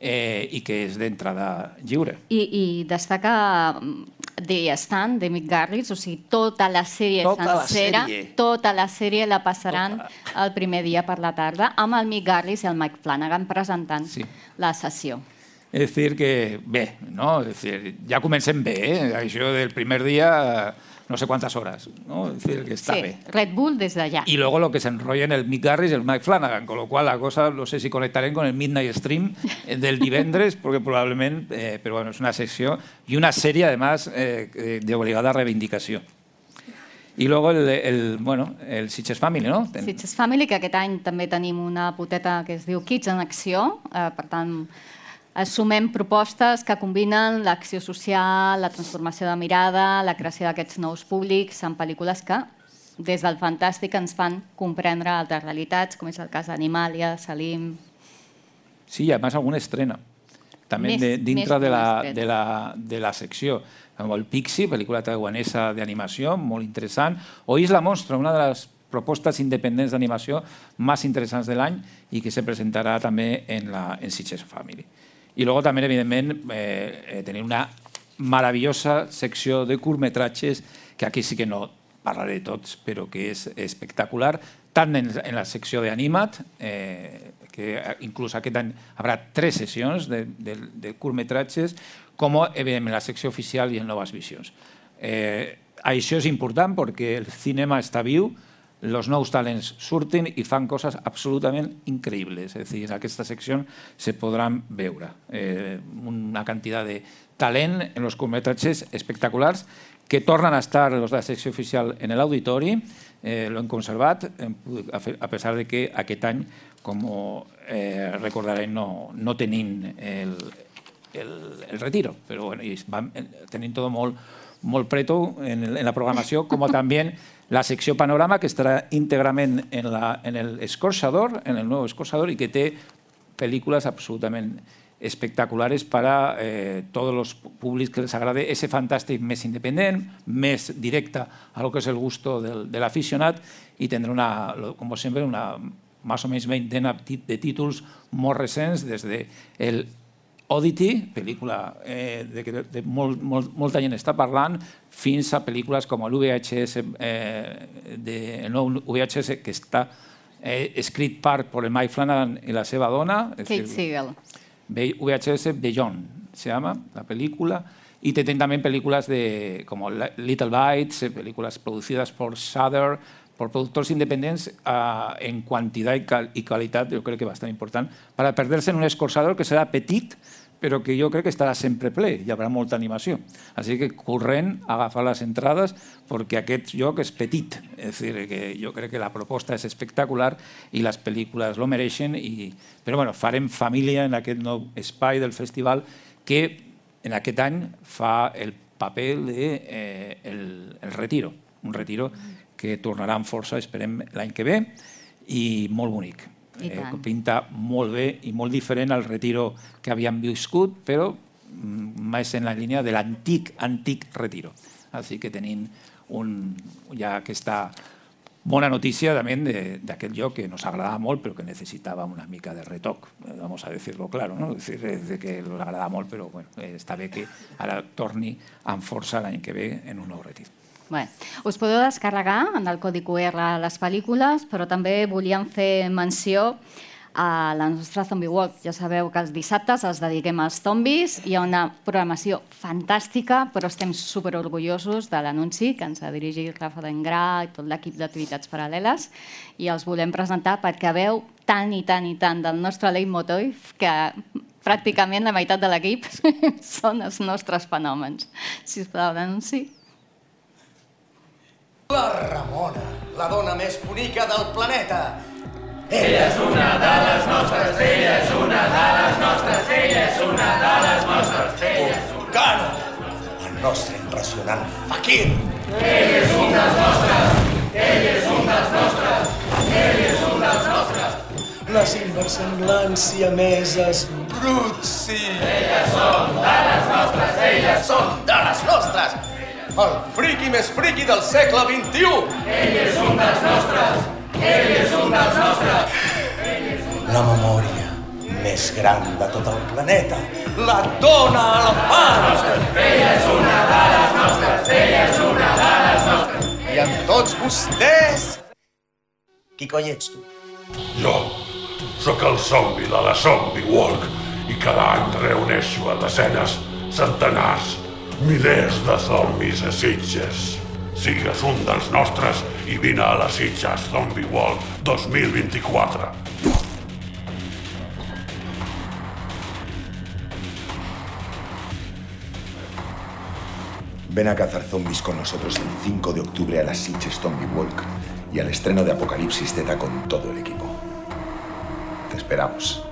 eh, i que és d'entrada lliure. I, i destaca The Stand, de Mick Garris, o sigui, tota la sèrie tota sencera, la sèrie. tota la sèrie la passaran tota. El primer dia per la tarda, amb el Mick Garris i el Mike Flanagan presentant sí. La sessió. És dir que bé, no? És dir, ja comencem bé, eh? Això del primer dia... no sé cuántas horas, ¿no? Es decir, que está sí, bien. Red Bull desde allá. Y luego lo que se enrolla en el Mick Garris y el Mike Flanagan, con lo cual la cosa, no sé si conectaré con el Midnight Stream del divendres, porque probablemente, eh, pero bueno, es una sección y una serie además eh, de obligada reivindicació. I luego el, el, bueno, el Sitges Family, no? Sitges Family, que aquest any també tenim una poteta que es diu Kids en Acció, eh, per tant, assumem propostes que combinen l'acció social, la transformació de mirada, la creació d'aquests nous públics en pel·lícules que, des del fantàstic, ens fan comprendre altres realitats, com és el cas d'Animàlia, Salim... Sí, i a més alguna estrena. també Més- de, dintre més de la, estret. de, la, de la secció. Com el Pixie, pel·lícula taiwanesa d'animació, molt interessant, o Isla Monstre, una de les propostes independents d'animació més interessants de l'any i que se presentarà també en, la, en Sitges Family. I luego també, evidentment, eh, eh, tenir una meravellosa secció de curtmetratges, que aquí sí que no parlaré de tots, però que és espectacular, tant en, en la secció d'Animat, eh, que inclús aquest any hi haurà tres sessions de, de, de curtmetratges, com, evidentment, la secció oficial i en Noves Visions. Eh, això és important perquè el cinema està viu, els nous talents surten i fan coses absolutament increïbles. És a dir, en aquesta secció se podran veure eh, una quantitat de talent en els curtmetratges espectaculars que tornen a estar els de la secció oficial en l'auditori, eh, l'hem conservat, a pesar de que aquest any, com eh, recordarem, no, no tenim el, el, el retiro, però bueno, van tenint tot molt, molt preto en, en la programació, com també la secció Panorama, que estarà íntegrament en, la, en el escorxador, en el nou escorxador, i que té pel·lícules absolutament espectaculares per a eh, tots els públics que les agrade ese fantàstic més independent, més directe a lo que és el gusto del, de l'aficionat, i tindrà, una, com sempre, una més o menys veintena de títols molt recents, des de el Oddity, pel·lícula eh, de que de molt, molt, molta gent està parlant, fins a pel·lícules com l'U V H S, eh, de, el nou U V H S que està eh, escrit per Paul Mike Flanagan i la seva dona. Kate Siegel. U V H S Beyond se llama la película, y tienen también películas de, como Little Bites, películas producidas por Shudder, por productors independents uh, en quantitat i, cal i qualitat, jo crec que bastant important, per a perder-se en un escorxador que serà petit, però que jo crec que estarà sempre ple, hi haurà molta animació. Així que corrent a agafar les entrades, perquè aquest lloc és petit. És a dir, que jo crec que la proposta és espectacular i les pel·lícules lo mereixen. I... Però bueno, farem família en aquest nou espai del festival que en aquest any fa el paper del eh, el, el retiro. Un retiro que tornarà amb força, esperem, l'any que ve, i molt bonic. Eh, pinta molt bé i molt diferent al retiro que havíem viscut, però més en la línia de l'antic, antic retiro. Així que tenim un, ja aquesta bona notícia també d'aquest lloc que nos agradava molt, però que necessitava una mica de retoc, vamos a decirlo claro, ¿no? Es decir, es de que nos agrada molt, però bueno, està bé que ara torni amb força l'any que ve en un nou retir. Bé, us podeu descarregar en el codi Q R les pel·lícules, però també volíem fer menció a la nostra Zombie Walk. Ja sabeu que els dissabtes els dediquem als zombis. Hi ha una programació fantàstica, però estem superorgullosos de l'anunci que ens ha dirigit Rafa Dengrà i tot l'equip d'activitats paral·leles, i els volem presentar perquè veu tant i tant i tant del nostre leitmotiv que pràcticament la meitat de l'equip són els nostres fenòmens. Sisplau, l'anunci. La Ramona, la dona més bonica del planeta. Ella és una de les nostres, ella és una de les nostres, ella és una de les nostres, ella és una... Vulcano, el nostre impressionant fakir. Ell és un dels nostres, ell és un dels nostres, ell és un dels nostres. Les inverssemblants siameses Brutsi. Elles són de les nostres, elles són de les nostres. El friqui més friqui del segle vint-i-u. Ell és un dels nostres, ell és un dels nostres. La memòria més gran de tot el planeta, la dona elefant. Ella és una de les nostres, ella és una de les nostres. I amb tots vostès... Qui coi ets tu? Jo sóc el zombi de la Zombie Walk i cada any reuneixo a desenes, centenars, milers de zombis a Sitges. Sigues un dels nostres i vine a la Sitges Zombie Walk dos mil vint-i-quatre. Ven a cazar zombies con nosotros el cinco de octubre a la Sitges Zombie Walk y al estreno de Apocalipsis Z con todo el equipo. Te esperamos.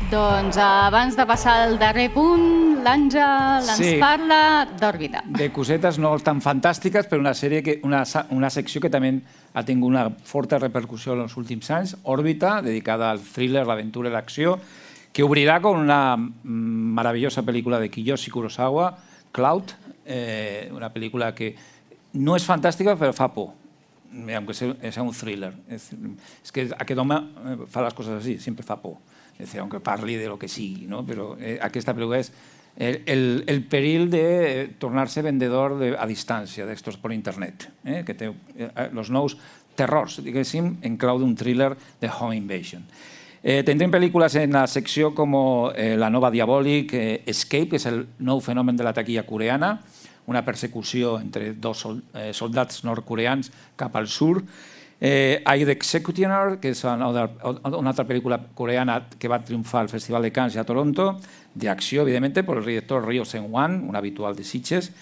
Doncs abans de passar al darrer punt, l'Àngel ens Sí. parla d'Òrbita. De cosetes no tan fantàstiques, però una sèrie que, una, sa- una secció que també ha tingut una forta repercussió en els últims anys, Òrbita, dedicada al thriller, l'aventura i l'acció, que obrirà con una mm, maravillosa pel·lícula de Kiyoshi Kurosawa, Cloud, eh, una pel·lícula que no és fantàstica, però fa por, aunque sea, sea un thriller. Es, es que aquest home eh, fa les coses així, sempre fa por. Es decir, aunque parli de lo que sigui, ¿no? Però eh, aquesta pel·lícula és el, el, el perill de tornar-se vendedor de, a distància d'estos per internet, eh? Que té eh, els nous terrors, diguéssim, en clau d'un thriller de home invasion. Eh, tendrem pel·lícules en la secció com eh, La nova Diabòlic, eh, Escape, que és el nou fenomen de la taquilla coreana, una persecució entre dos sol, eh, soldats nord-coreans cap al sur. Eh, I, The Executioner, que és una, una altra pel·lícula coreana que va triomfar al Festival de Cannes i a Toronto, d'acció, evidentment, per el director Ryo Seung-wan, un habitual de Sitges.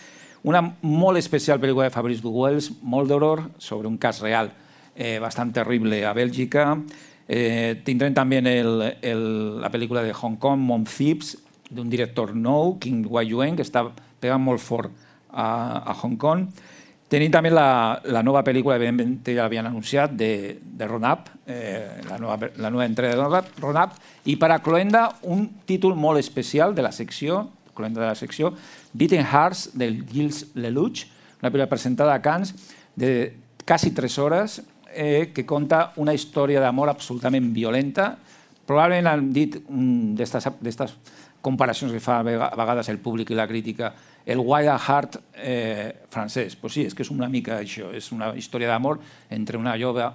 Una molt especial pel·lícula de Fabrice Duguels, molt d'horror, sobre un cas real eh, bastant terrible a Bèlgica. Eh, tindrem també el, el, la pel·lícula de Hong Kong, Mom Thieves, d'un director nou, Kim Wai-yuen, que està pegant molt fort a, a Hong Kong. Tenim també la, la nova pel·lícula, evidentment ja l'havien anunciat, de, de Ron-Up, eh, la, nova, la nova entrega de Ron-Up, i per a cloenda un títol molt especial de la secció, cloenda de la secció, Beating Hearts, del Gilles Lelouch, una pel·lícula presentada a Cannes de quasi tres hores, eh, que conta una història d'amor absolutament violenta. Probablement han dit um, d'aquestes comparacions que fa a vegades el públic i la crítica, el Wild at Heart eh, francès. Pues sí, és que és una mica això, és una història d'amor entre una jove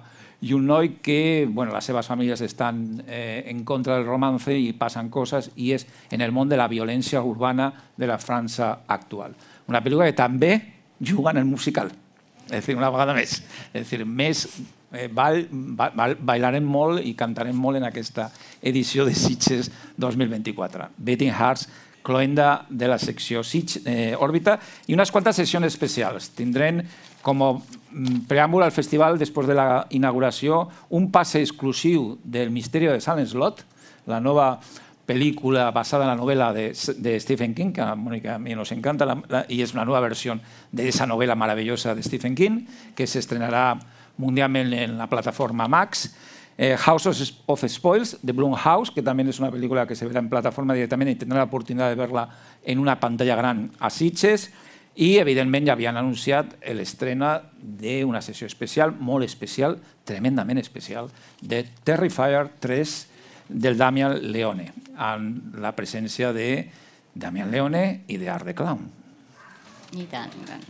i un noi que, bueno, les seves famílies estan eh, en contra del romance i passen coses, i és en el món de la violència urbana de la França actual. Una pel·lícula que també juga en el musical, és a dir, una vegada més. És a dir, més eh, ball, ball, bailarem molt i cantarem molt en aquesta edició de Sitges dos mil vint-i-quatre. Beating Hearts, cloenda de la secció Sitges, eh, Òrbita, i unes quantes sessions especials. Tindrem com a preàmbul al festival, després de la inauguració, un passe exclusiu del Misteri de Salem Slot, la nova pel·lícula basada en la novel·la de, de Stephen King, que a Mónica a mi nos encanta, la, la, i és una nova versió d'esa novel·la maravillosa de Stephen King, que s'estrenarà mundialment en la plataforma Max. Eh, House of Spoils, de Blumhouse, que també és una pel·lícula que se verà en plataforma directament i tindrà l'oportunitat de veure-la en una pantalla gran a Sitges. I, evidentment, ja havien anunciat l'estrena d'una sessió especial, molt especial, tremendament especial, de Terrifier tres del Damian Leone, amb la presència de Damian Leone i de Art the Clown. I tant, i tant.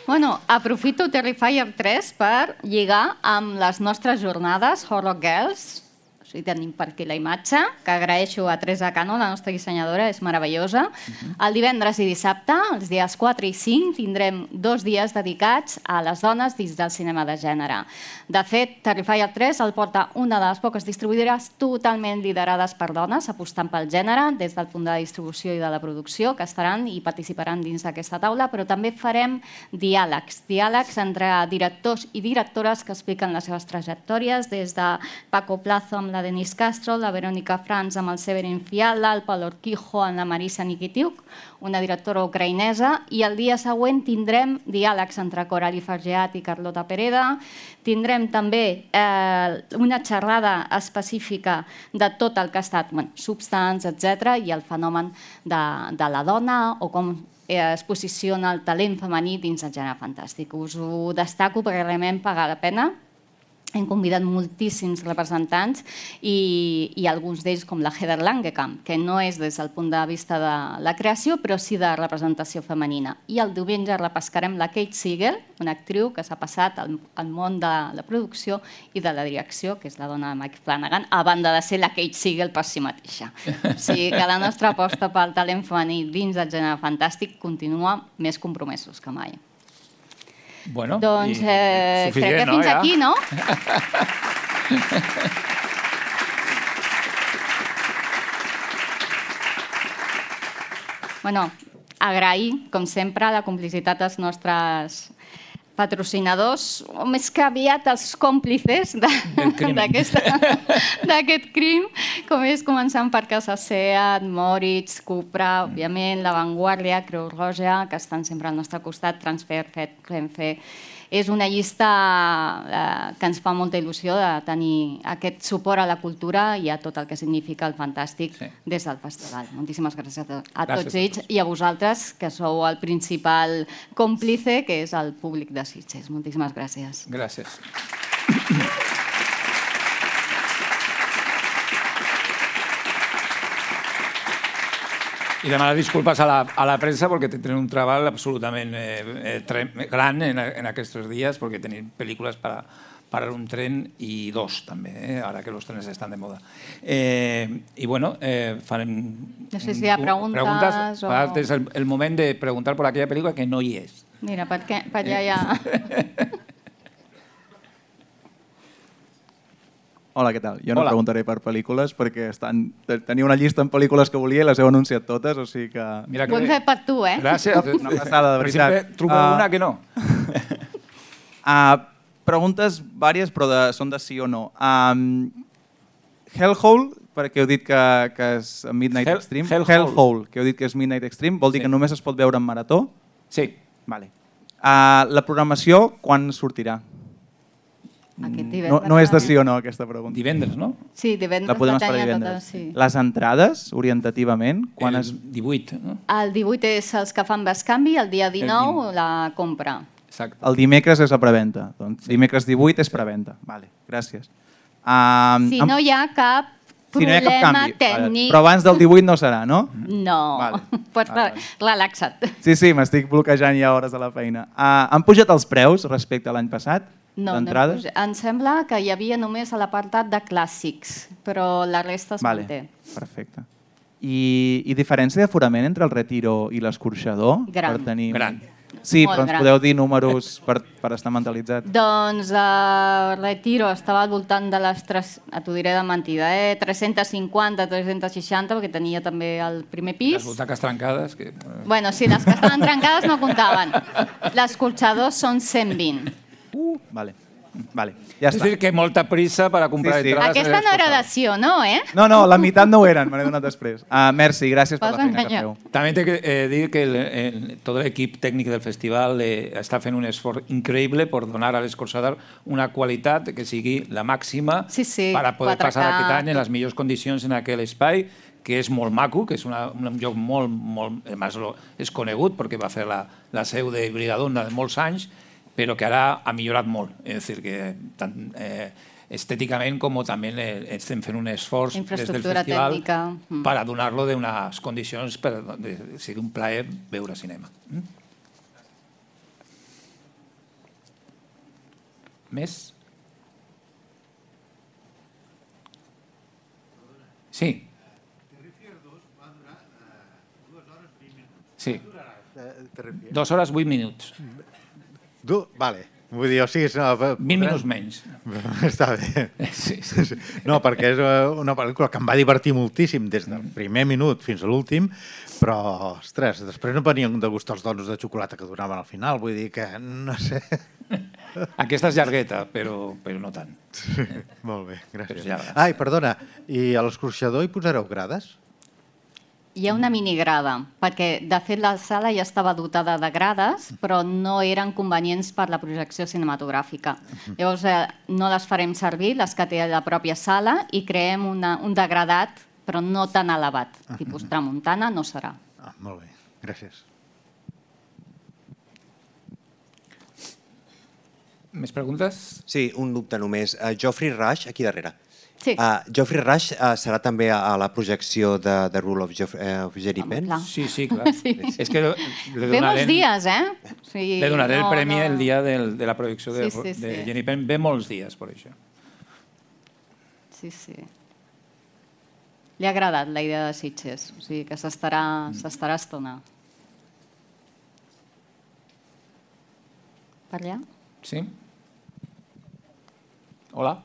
Bueno, aprofito Terrifier tres per lligar amb les nostres jornades Horror Girls. O sigui, tenim per aquí la imatge, que agraeixo a Teresa Cano, la nostra dissenyadora, és meravellosa. El divendres i dissabte, els dies quatre i cinc, tindrem dos dies dedicats a les dones dins del cinema de gènere. De fet, Terrifier tres el porta una de les poques distribuïdores totalment liderades per dones, apostant pel gènere, des del punt de distribució i de la producció, que estaran i participaran dins d'aquesta taula, però també farem diàlegs, diàlegs entre directors i directores que expliquen les seves trajectòries, des de Paco Plazo amb la Denise Castro, la Verónica Franz amb el Severin Fiala, el Pablo Urquijo amb la Marisa Nikitiuk, una directora ucraïnesa, i el dia següent tindrem diàlegs entre Coralie Fargeat i Carlota Pereda. Tindrem també eh, una xerrada específica de tot el que ha estat, bueno, Substance, etcètera, i el fenomen de, de la dona o com es posiciona el talent femení dins el gènere fantàstic. Us ho destaco perquè realment paga la pena. Hem convidat moltíssims representants i, i alguns d'ells com la Heather Langenkamp, que no és des del punt de vista de la creació, però sí de representació femenina. I el diumenge repescarem la Kate Siegel, una actriu que s'ha passat al, al món de la producció i de la direcció, que és la dona de Mike Flanagan, a banda de ser la Kate Siegel per si mateixa. O sigui que la nostra aposta pel talent femení dins del gènere fantàstic continua més compromesos que mai. Bueno, doncs eh, crec que no, fins ja? aquí, no? Bueno, agrair, com sempre, la complicitat dels nostres patrocinadors, o més que aviat els còmplices d'aquest crim, com és començant per Casa Seat, Moritz, Cupra, òbviament, La Vanguardia, Creu Roja, que estan sempre al nostre costat, Transfer, Renfe. És una llista que ens fa molta il·lusió de tenir aquest suport a la cultura i a tot el que significa el Fantàstic des del festival. Moltíssimes gràcies a tots ells i a vosaltres, que sou el principal còmplice, que és el públic de Sitges. Moltíssimes gràcies. Gràcies. I demanar disculpes a la, a la premsa perquè tenen un treball absolutament eh, eh, gran en, en aquests dies, perquè tenim pel·lícules per, per un tren i dos també, eh, ara que els trens estan de moda. Eh, I bueno, eh, farem... No sé si hi ha preguntes, preguntes o... És el, el moment de preguntar per aquella pel·lícula que no hi és. Mira, per, què, per allà hi ha... Hola, què tal? Jo no Hola. preguntaré per pel·lícules perquè estan... tenia una llista amb pel·lícules que volia i les heu anunciat totes, o sigui que... Mira que... Ho hem fet per tu, eh? Gràcies. Una passada, de veritat. Sempre trobo uh, una que no. uh, preguntes vàries, però de, són de sí o no. Um, Hellhole, perquè heu dit que, que és Midnight Hell, Extreme. Hellhole. Hellhole, que heu dit que és Midnight Extreme, vol dir sí. que només es pot veure en marató? Sí. Vale. Uh, la programació, quan sortirà? No, no és de sí o no, aquesta pregunta. Divendres, no? Sí, divendres. La podem esperar divendres. Tota, sí. Les entrades, orientativament, quan el es... divuit, no? El divuit és els que fan bescanvi, el dia dinou el la compra. Exacte. El dimecres és la preventa. Doncs dimecres divuit és preventa. Vale, gràcies. Um, si no hi ha cap problema si no hi ha cap canvi. Tècnic... Però abans del divuit no serà, no? No. Vale. Pots vale. Relaxa't. Sí, sí, m'estic bloquejant ja hores a la feina. Uh, han pujat els preus respecte a l'any passat? No, no em sembla que hi havia només a l'apartat de clàssics, però la resta es vale, manté. Perfecte. I, I diferència d'aforament entre el Retiro i l'Escorxador? Gran. Per tenir... Gran. Sí, Molt però ens gran. podeu dir números per, per estar mentalitzats? Doncs el Retiro estava al voltant de les... tres, t'ho diré de mentida, eh? tres-cents cinquanta, tres-cents seixanta, perquè tenia també el primer pis. Les butaques trencades. Que... Bueno, sí, les que estaven trencades no comptaven. L'escorxador són cent vint. Uh, vale. Vale, ja és està. dir, que molta prissa per a comprar sí, sí. entrades. Aquesta no era d'acció, no, eh? No, no, la meitat no ho eren, me n'he donat després. Uh, merci, gràcies per la feina que feu. També he de eh, dir que el, el, tot l'equip tècnic del festival eh, està fent un esforç increïble per donar a l'Escorxador una qualitat que sigui la màxima sí, sí, per a poder quatre K. passar aquest any en les millors condicions en aquell espai, que és molt maco, que és una, un lloc molt, molt... Además, és conegut perquè va fer la, la seu de Brigadona de molts anys, però que ara ha millorat molt. És a dir, que tant eh, estèticament com també eh, estem fent un esforç des del festival mm. per a donar-lo d'unes condicions per que sigui un plaer veure cinema. Mm? Més? Sí. Sí. Dos hores, vuit minuts. Du, vale. Vull dir, o sigui... No, vint minuts menys. Està bé. Sí, sí. No, perquè és una pel·lícula que em va divertir moltíssim des del primer minut fins a l'últim, però, ostres, després no venien de gust els donos de xocolata que donaven al final, vull dir que, no sé... Aquesta és llargueta, però, però no tant. Sí, molt bé, gràcies. Ai, perdona, i a l'Escorxador hi posareu grades? Hi ha una minigrada, perquè de fet la sala ja estava dotada de grades, però no eren convenients per la projecció cinematogràfica. Llavors eh, no les farem servir, les que té a la pròpia sala, i creem una, un degradat, però no tan elevat. Tipus tramuntana no serà. Ah, molt bé, gràcies. Més preguntes? Sí, un dubte només. Uh, Geoffrey Rush, aquí darrere. Sí. Uh, Geoffrey Rush uh, serà també a, a la projecció de The Rule of, Geoff, uh, of Jerry Penn? Sí, sí, clar. Sí. És que le ve molts dies, eh? Sí, le donaré no, el premi no. el dia del, de la projecció de, sí, sí, sí. de Jerry Penn. Ve molts dies, per això. Sí, sí. Li ha agradat la idea de Sitges, o sigui que s'estarà s'estarà estona. Per allà? Sí. Hola.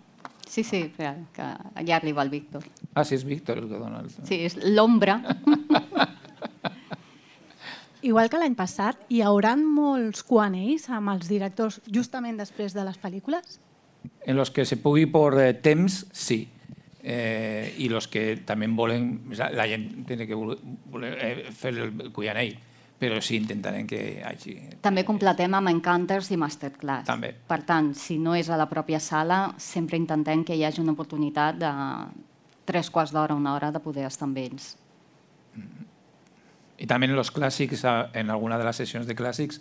Sí, sí, espera, que allà arriba el Víctor. Ah, sí, és Víctor el que dona el... Sí, és l'ombra. igual que l'any passat, hi haurà molts Q and A's amb els directors justament després de les pel·lícules? En los que se pugui por eh, temps, sí. Eh, y los que también volen, la gent tiene que voler, voler eh, fer el Q and A, però sí intentarem que hi hagi... També completem amb Encounters i Masterclass. També. Per tant, si no és a la pròpia sala, sempre intentem que hi hagi una oportunitat de tres quarts d'hora, una hora, de poder estar amb ells. Y también en los clásicos, en alguna de las sesiones de clásicos,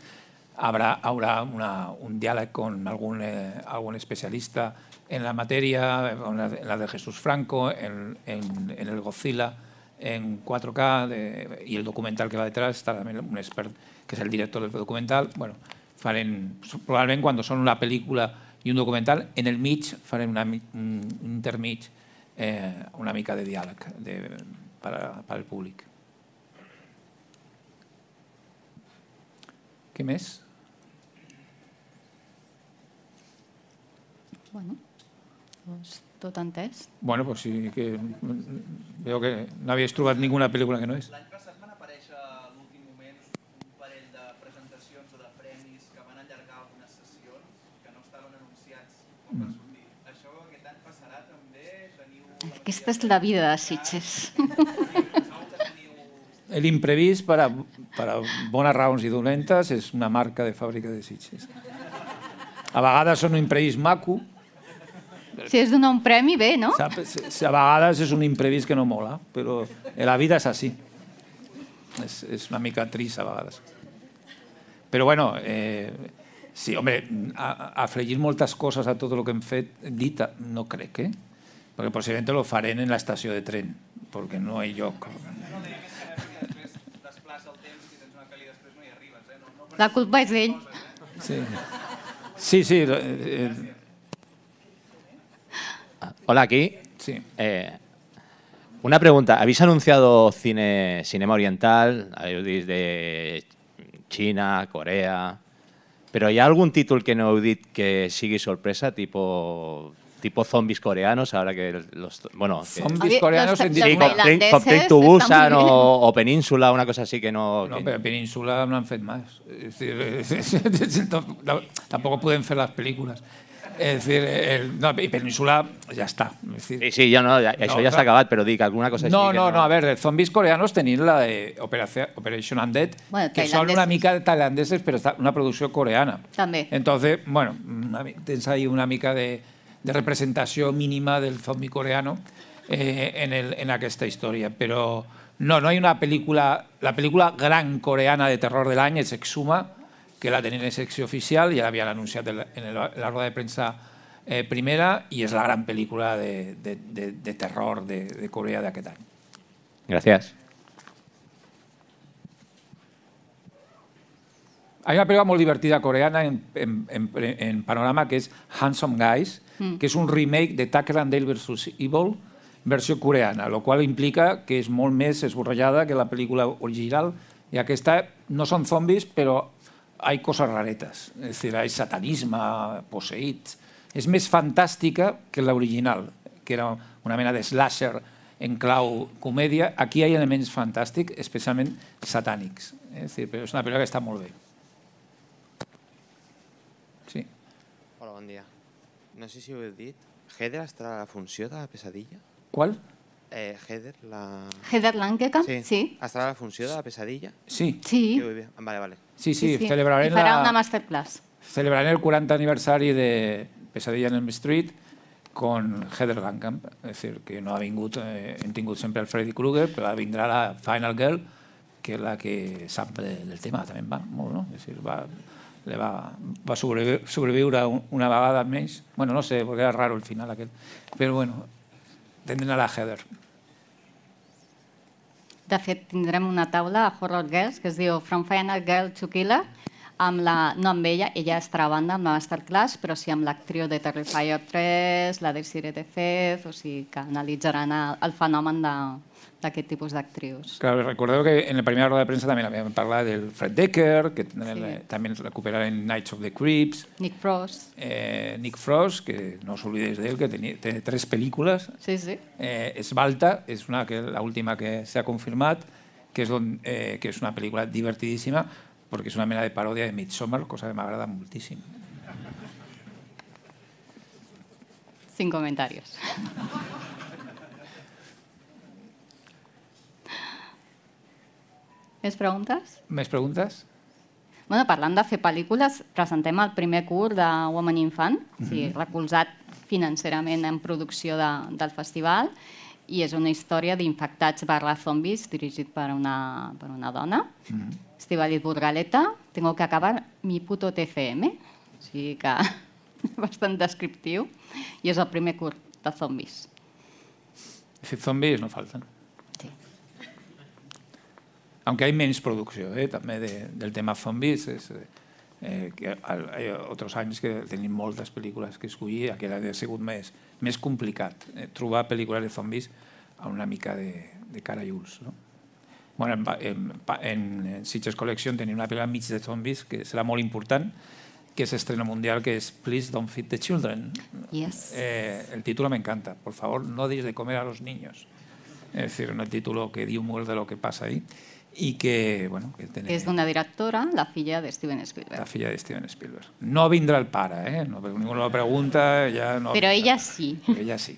habrá, habrá una, un diálogo con algún, eh, algún especialista en la materia, en la, en la de Jesús Franco, en, en, en el Godzilla, en cuatro K, de, y el documental que va detrás, está también un expert que es el director del documental. Bueno, farem, probablement quan són una pel·lícula i un documental, en el mig farem una, un intermig, eh, una mica de diàleg de, per, per al públic. Què més? Bueno, doncs tot entès. Bueno, pues sí que veo que no havíais trobat ninguna pel·lícula que no és. L'any passat van aparèixer a l'últim moment un parell de presentacions o de premis que van allargar algunes sessions que no estaven anunciats com va sortir. Això aquest any passarà també? Teniu... Aquesta és la vida de Sitges. El imprevist, per a, per a bones raons i dolentes, és una marca de fàbrica de Sitges. A vegades són un imprevist maco. Si és donar un premi, bé, no? Saps? A vegades és un imprevist que no mola, però la vida és així. És, és una mica trist a vegades. Però bueno, eh, sí, home, a, afegir moltes coses a tot el que hem fet, dit, no crec, eh? Perquè possiblement lo farem en l'estació de tren, perquè no hi ha lloc. La culpa és d'ell. Sí, sí. sí eh, Hola, aquí. Sí. Eh, una pregunta. ¿Habéis anunciado cine, cinema oriental? Habéis de China, Corea... Pero ¿hay algún título que no heu dit que sigui sorpresa, tipo... tipo zombies coreanos, ahora que los... Bueno, que, zombies coreanos en sí, com, com Train to Busan o, o Península, una cosa así que no... No, que... pero Península no han fet más. Es decir, tampoco pueden hacer las películas. Es decir, el, no, y Península ya está. Es decir, sí, sí, yo no, ya, eso no, ya está acabado, pero dic alguna cosa no, així. No, que no, no, a ver, zombies coreanos tenim la de Operation Undead, bueno, que son una mica tailandeses, pero está una producció coreana. També. Entonces, bueno, tens ahí una mica de, de representació mínima del zombie coreano eh, en, el, en aquesta història, però no, no hay una pel·lícula, la pel·lícula gran coreana de terror de l'any és Exuma, que la tenen en secció oficial, ja l'havien anunciat en la, en la roda de premsa eh, primera, i és la gran pel·lícula de, de, de, de terror de, de Corea d'aquest any. Gràcies. Hay una pel·lícula molt divertida coreana en, en, en, en panorama que és Handsome Guys, mm. que és un remake de Tucker and Dale versus Evil, versió coreana, lo qual implica que és molt més esborrellada que la pel·lícula original, i aquesta no són zombis, però hay cosas raretas, es decir, hay satanisme, poseïts. És més fantàstica que l'original, que era una mena de slasher en clau comèdia. Aquí hi ha elements fantàstics, especialment satànics. És dir, però és una pel·lícula que està molt bé. Sí. Hola, bon dia. No sé si ho heu dit. Heather estarà a la funció de la pesadilla? Qual? Eh, Heather, la... Heather Langenkamp, sí. sí. Estarà a la funció de la pesadilla? Sí. Sí. Vale, vale. Sí, sí, sí, sí. celebrarem I farà la... una masterclass. Celebrarem el quaranta aniversari de Pesadilla en Elm Street con Heather Langenkamp. És dir, que no ha vingut, eh, hem tingut sempre el Freddy Krueger, però vindrà la Final Girl, que és la que sap del tema, també va molt, no? És dir, va, le va, va sobreviure, sobreviure una vegada més. Bueno, no sé, perquè era raro el final aquell. Però bueno, tindrem a la Heather. De fet, tindrem una taula a Horror Girls que es diu From Final Girl to Killer, amb la, no amb ella, ella estarà a banda amb la masterclass, però sí amb l'actriu de Terrifier tres, la de Sire de Fez, o sigui que analitzaran el, el fenomen d'aquest tipus d'actrius. Claro, recordeu que en la primera roda de premsa també havíem parlat del Fred Decker, que sí. també recuperarem Nights of the Creeps. Nick Frost. Eh, Nick Frost, que no s'oblidés d'ell, que tenia, té tres pel·lícules. Sí, sí. Eh, Esbalta, és una que la última que s'ha confirmat, que és, on, eh, que és una pel·lícula divertidíssima perquè és una mena de paròdia de Midsommar, cosa que m'agrada moltíssim. Sin comentarios. Més preguntes? Més preguntes? Bueno, parlant de fer pel·lícules, presentem el primer curt de Woman Infant, mm-hmm. o sigui, recolzat financerament en producció de, del festival, i és una història d'infectats barra zombis dirigit per una, per una dona, mm-hmm. Estíbaliz Burgaleta. Tengo que acabar mi puto T C M, o sigui que bastant descriptiu, i és el primer curt de zombis. De fet, zombis no falten. Aunque hay menos producció, eh, també de, del tema zombies, és, eh, que hi ha altres anys que tenim moltes pel·lícules que escollir, aquest ha sigut més, més complicat, eh, trobar pel·lícules de zombies a una mica de, de cara i ulls. No? Bueno, en, en, en Sitges Collection tenim una pel·lícula mig de zombies que serà molt important, que és estreno mundial, que és Please Don't Feed the Children. Yes. Eh, el título me encanta. Por favor, no deis de comer a los niños. Es decir, un título que diu molt de lo que passa ahí. I que, bueno, que tiene... És d'una directora, la filla de Steven Spielberg. La filla de Steven Spielberg. No vindrà el pare, eh? No, ningú no lo pregunta, ja no... Però ella sí. Ella sí.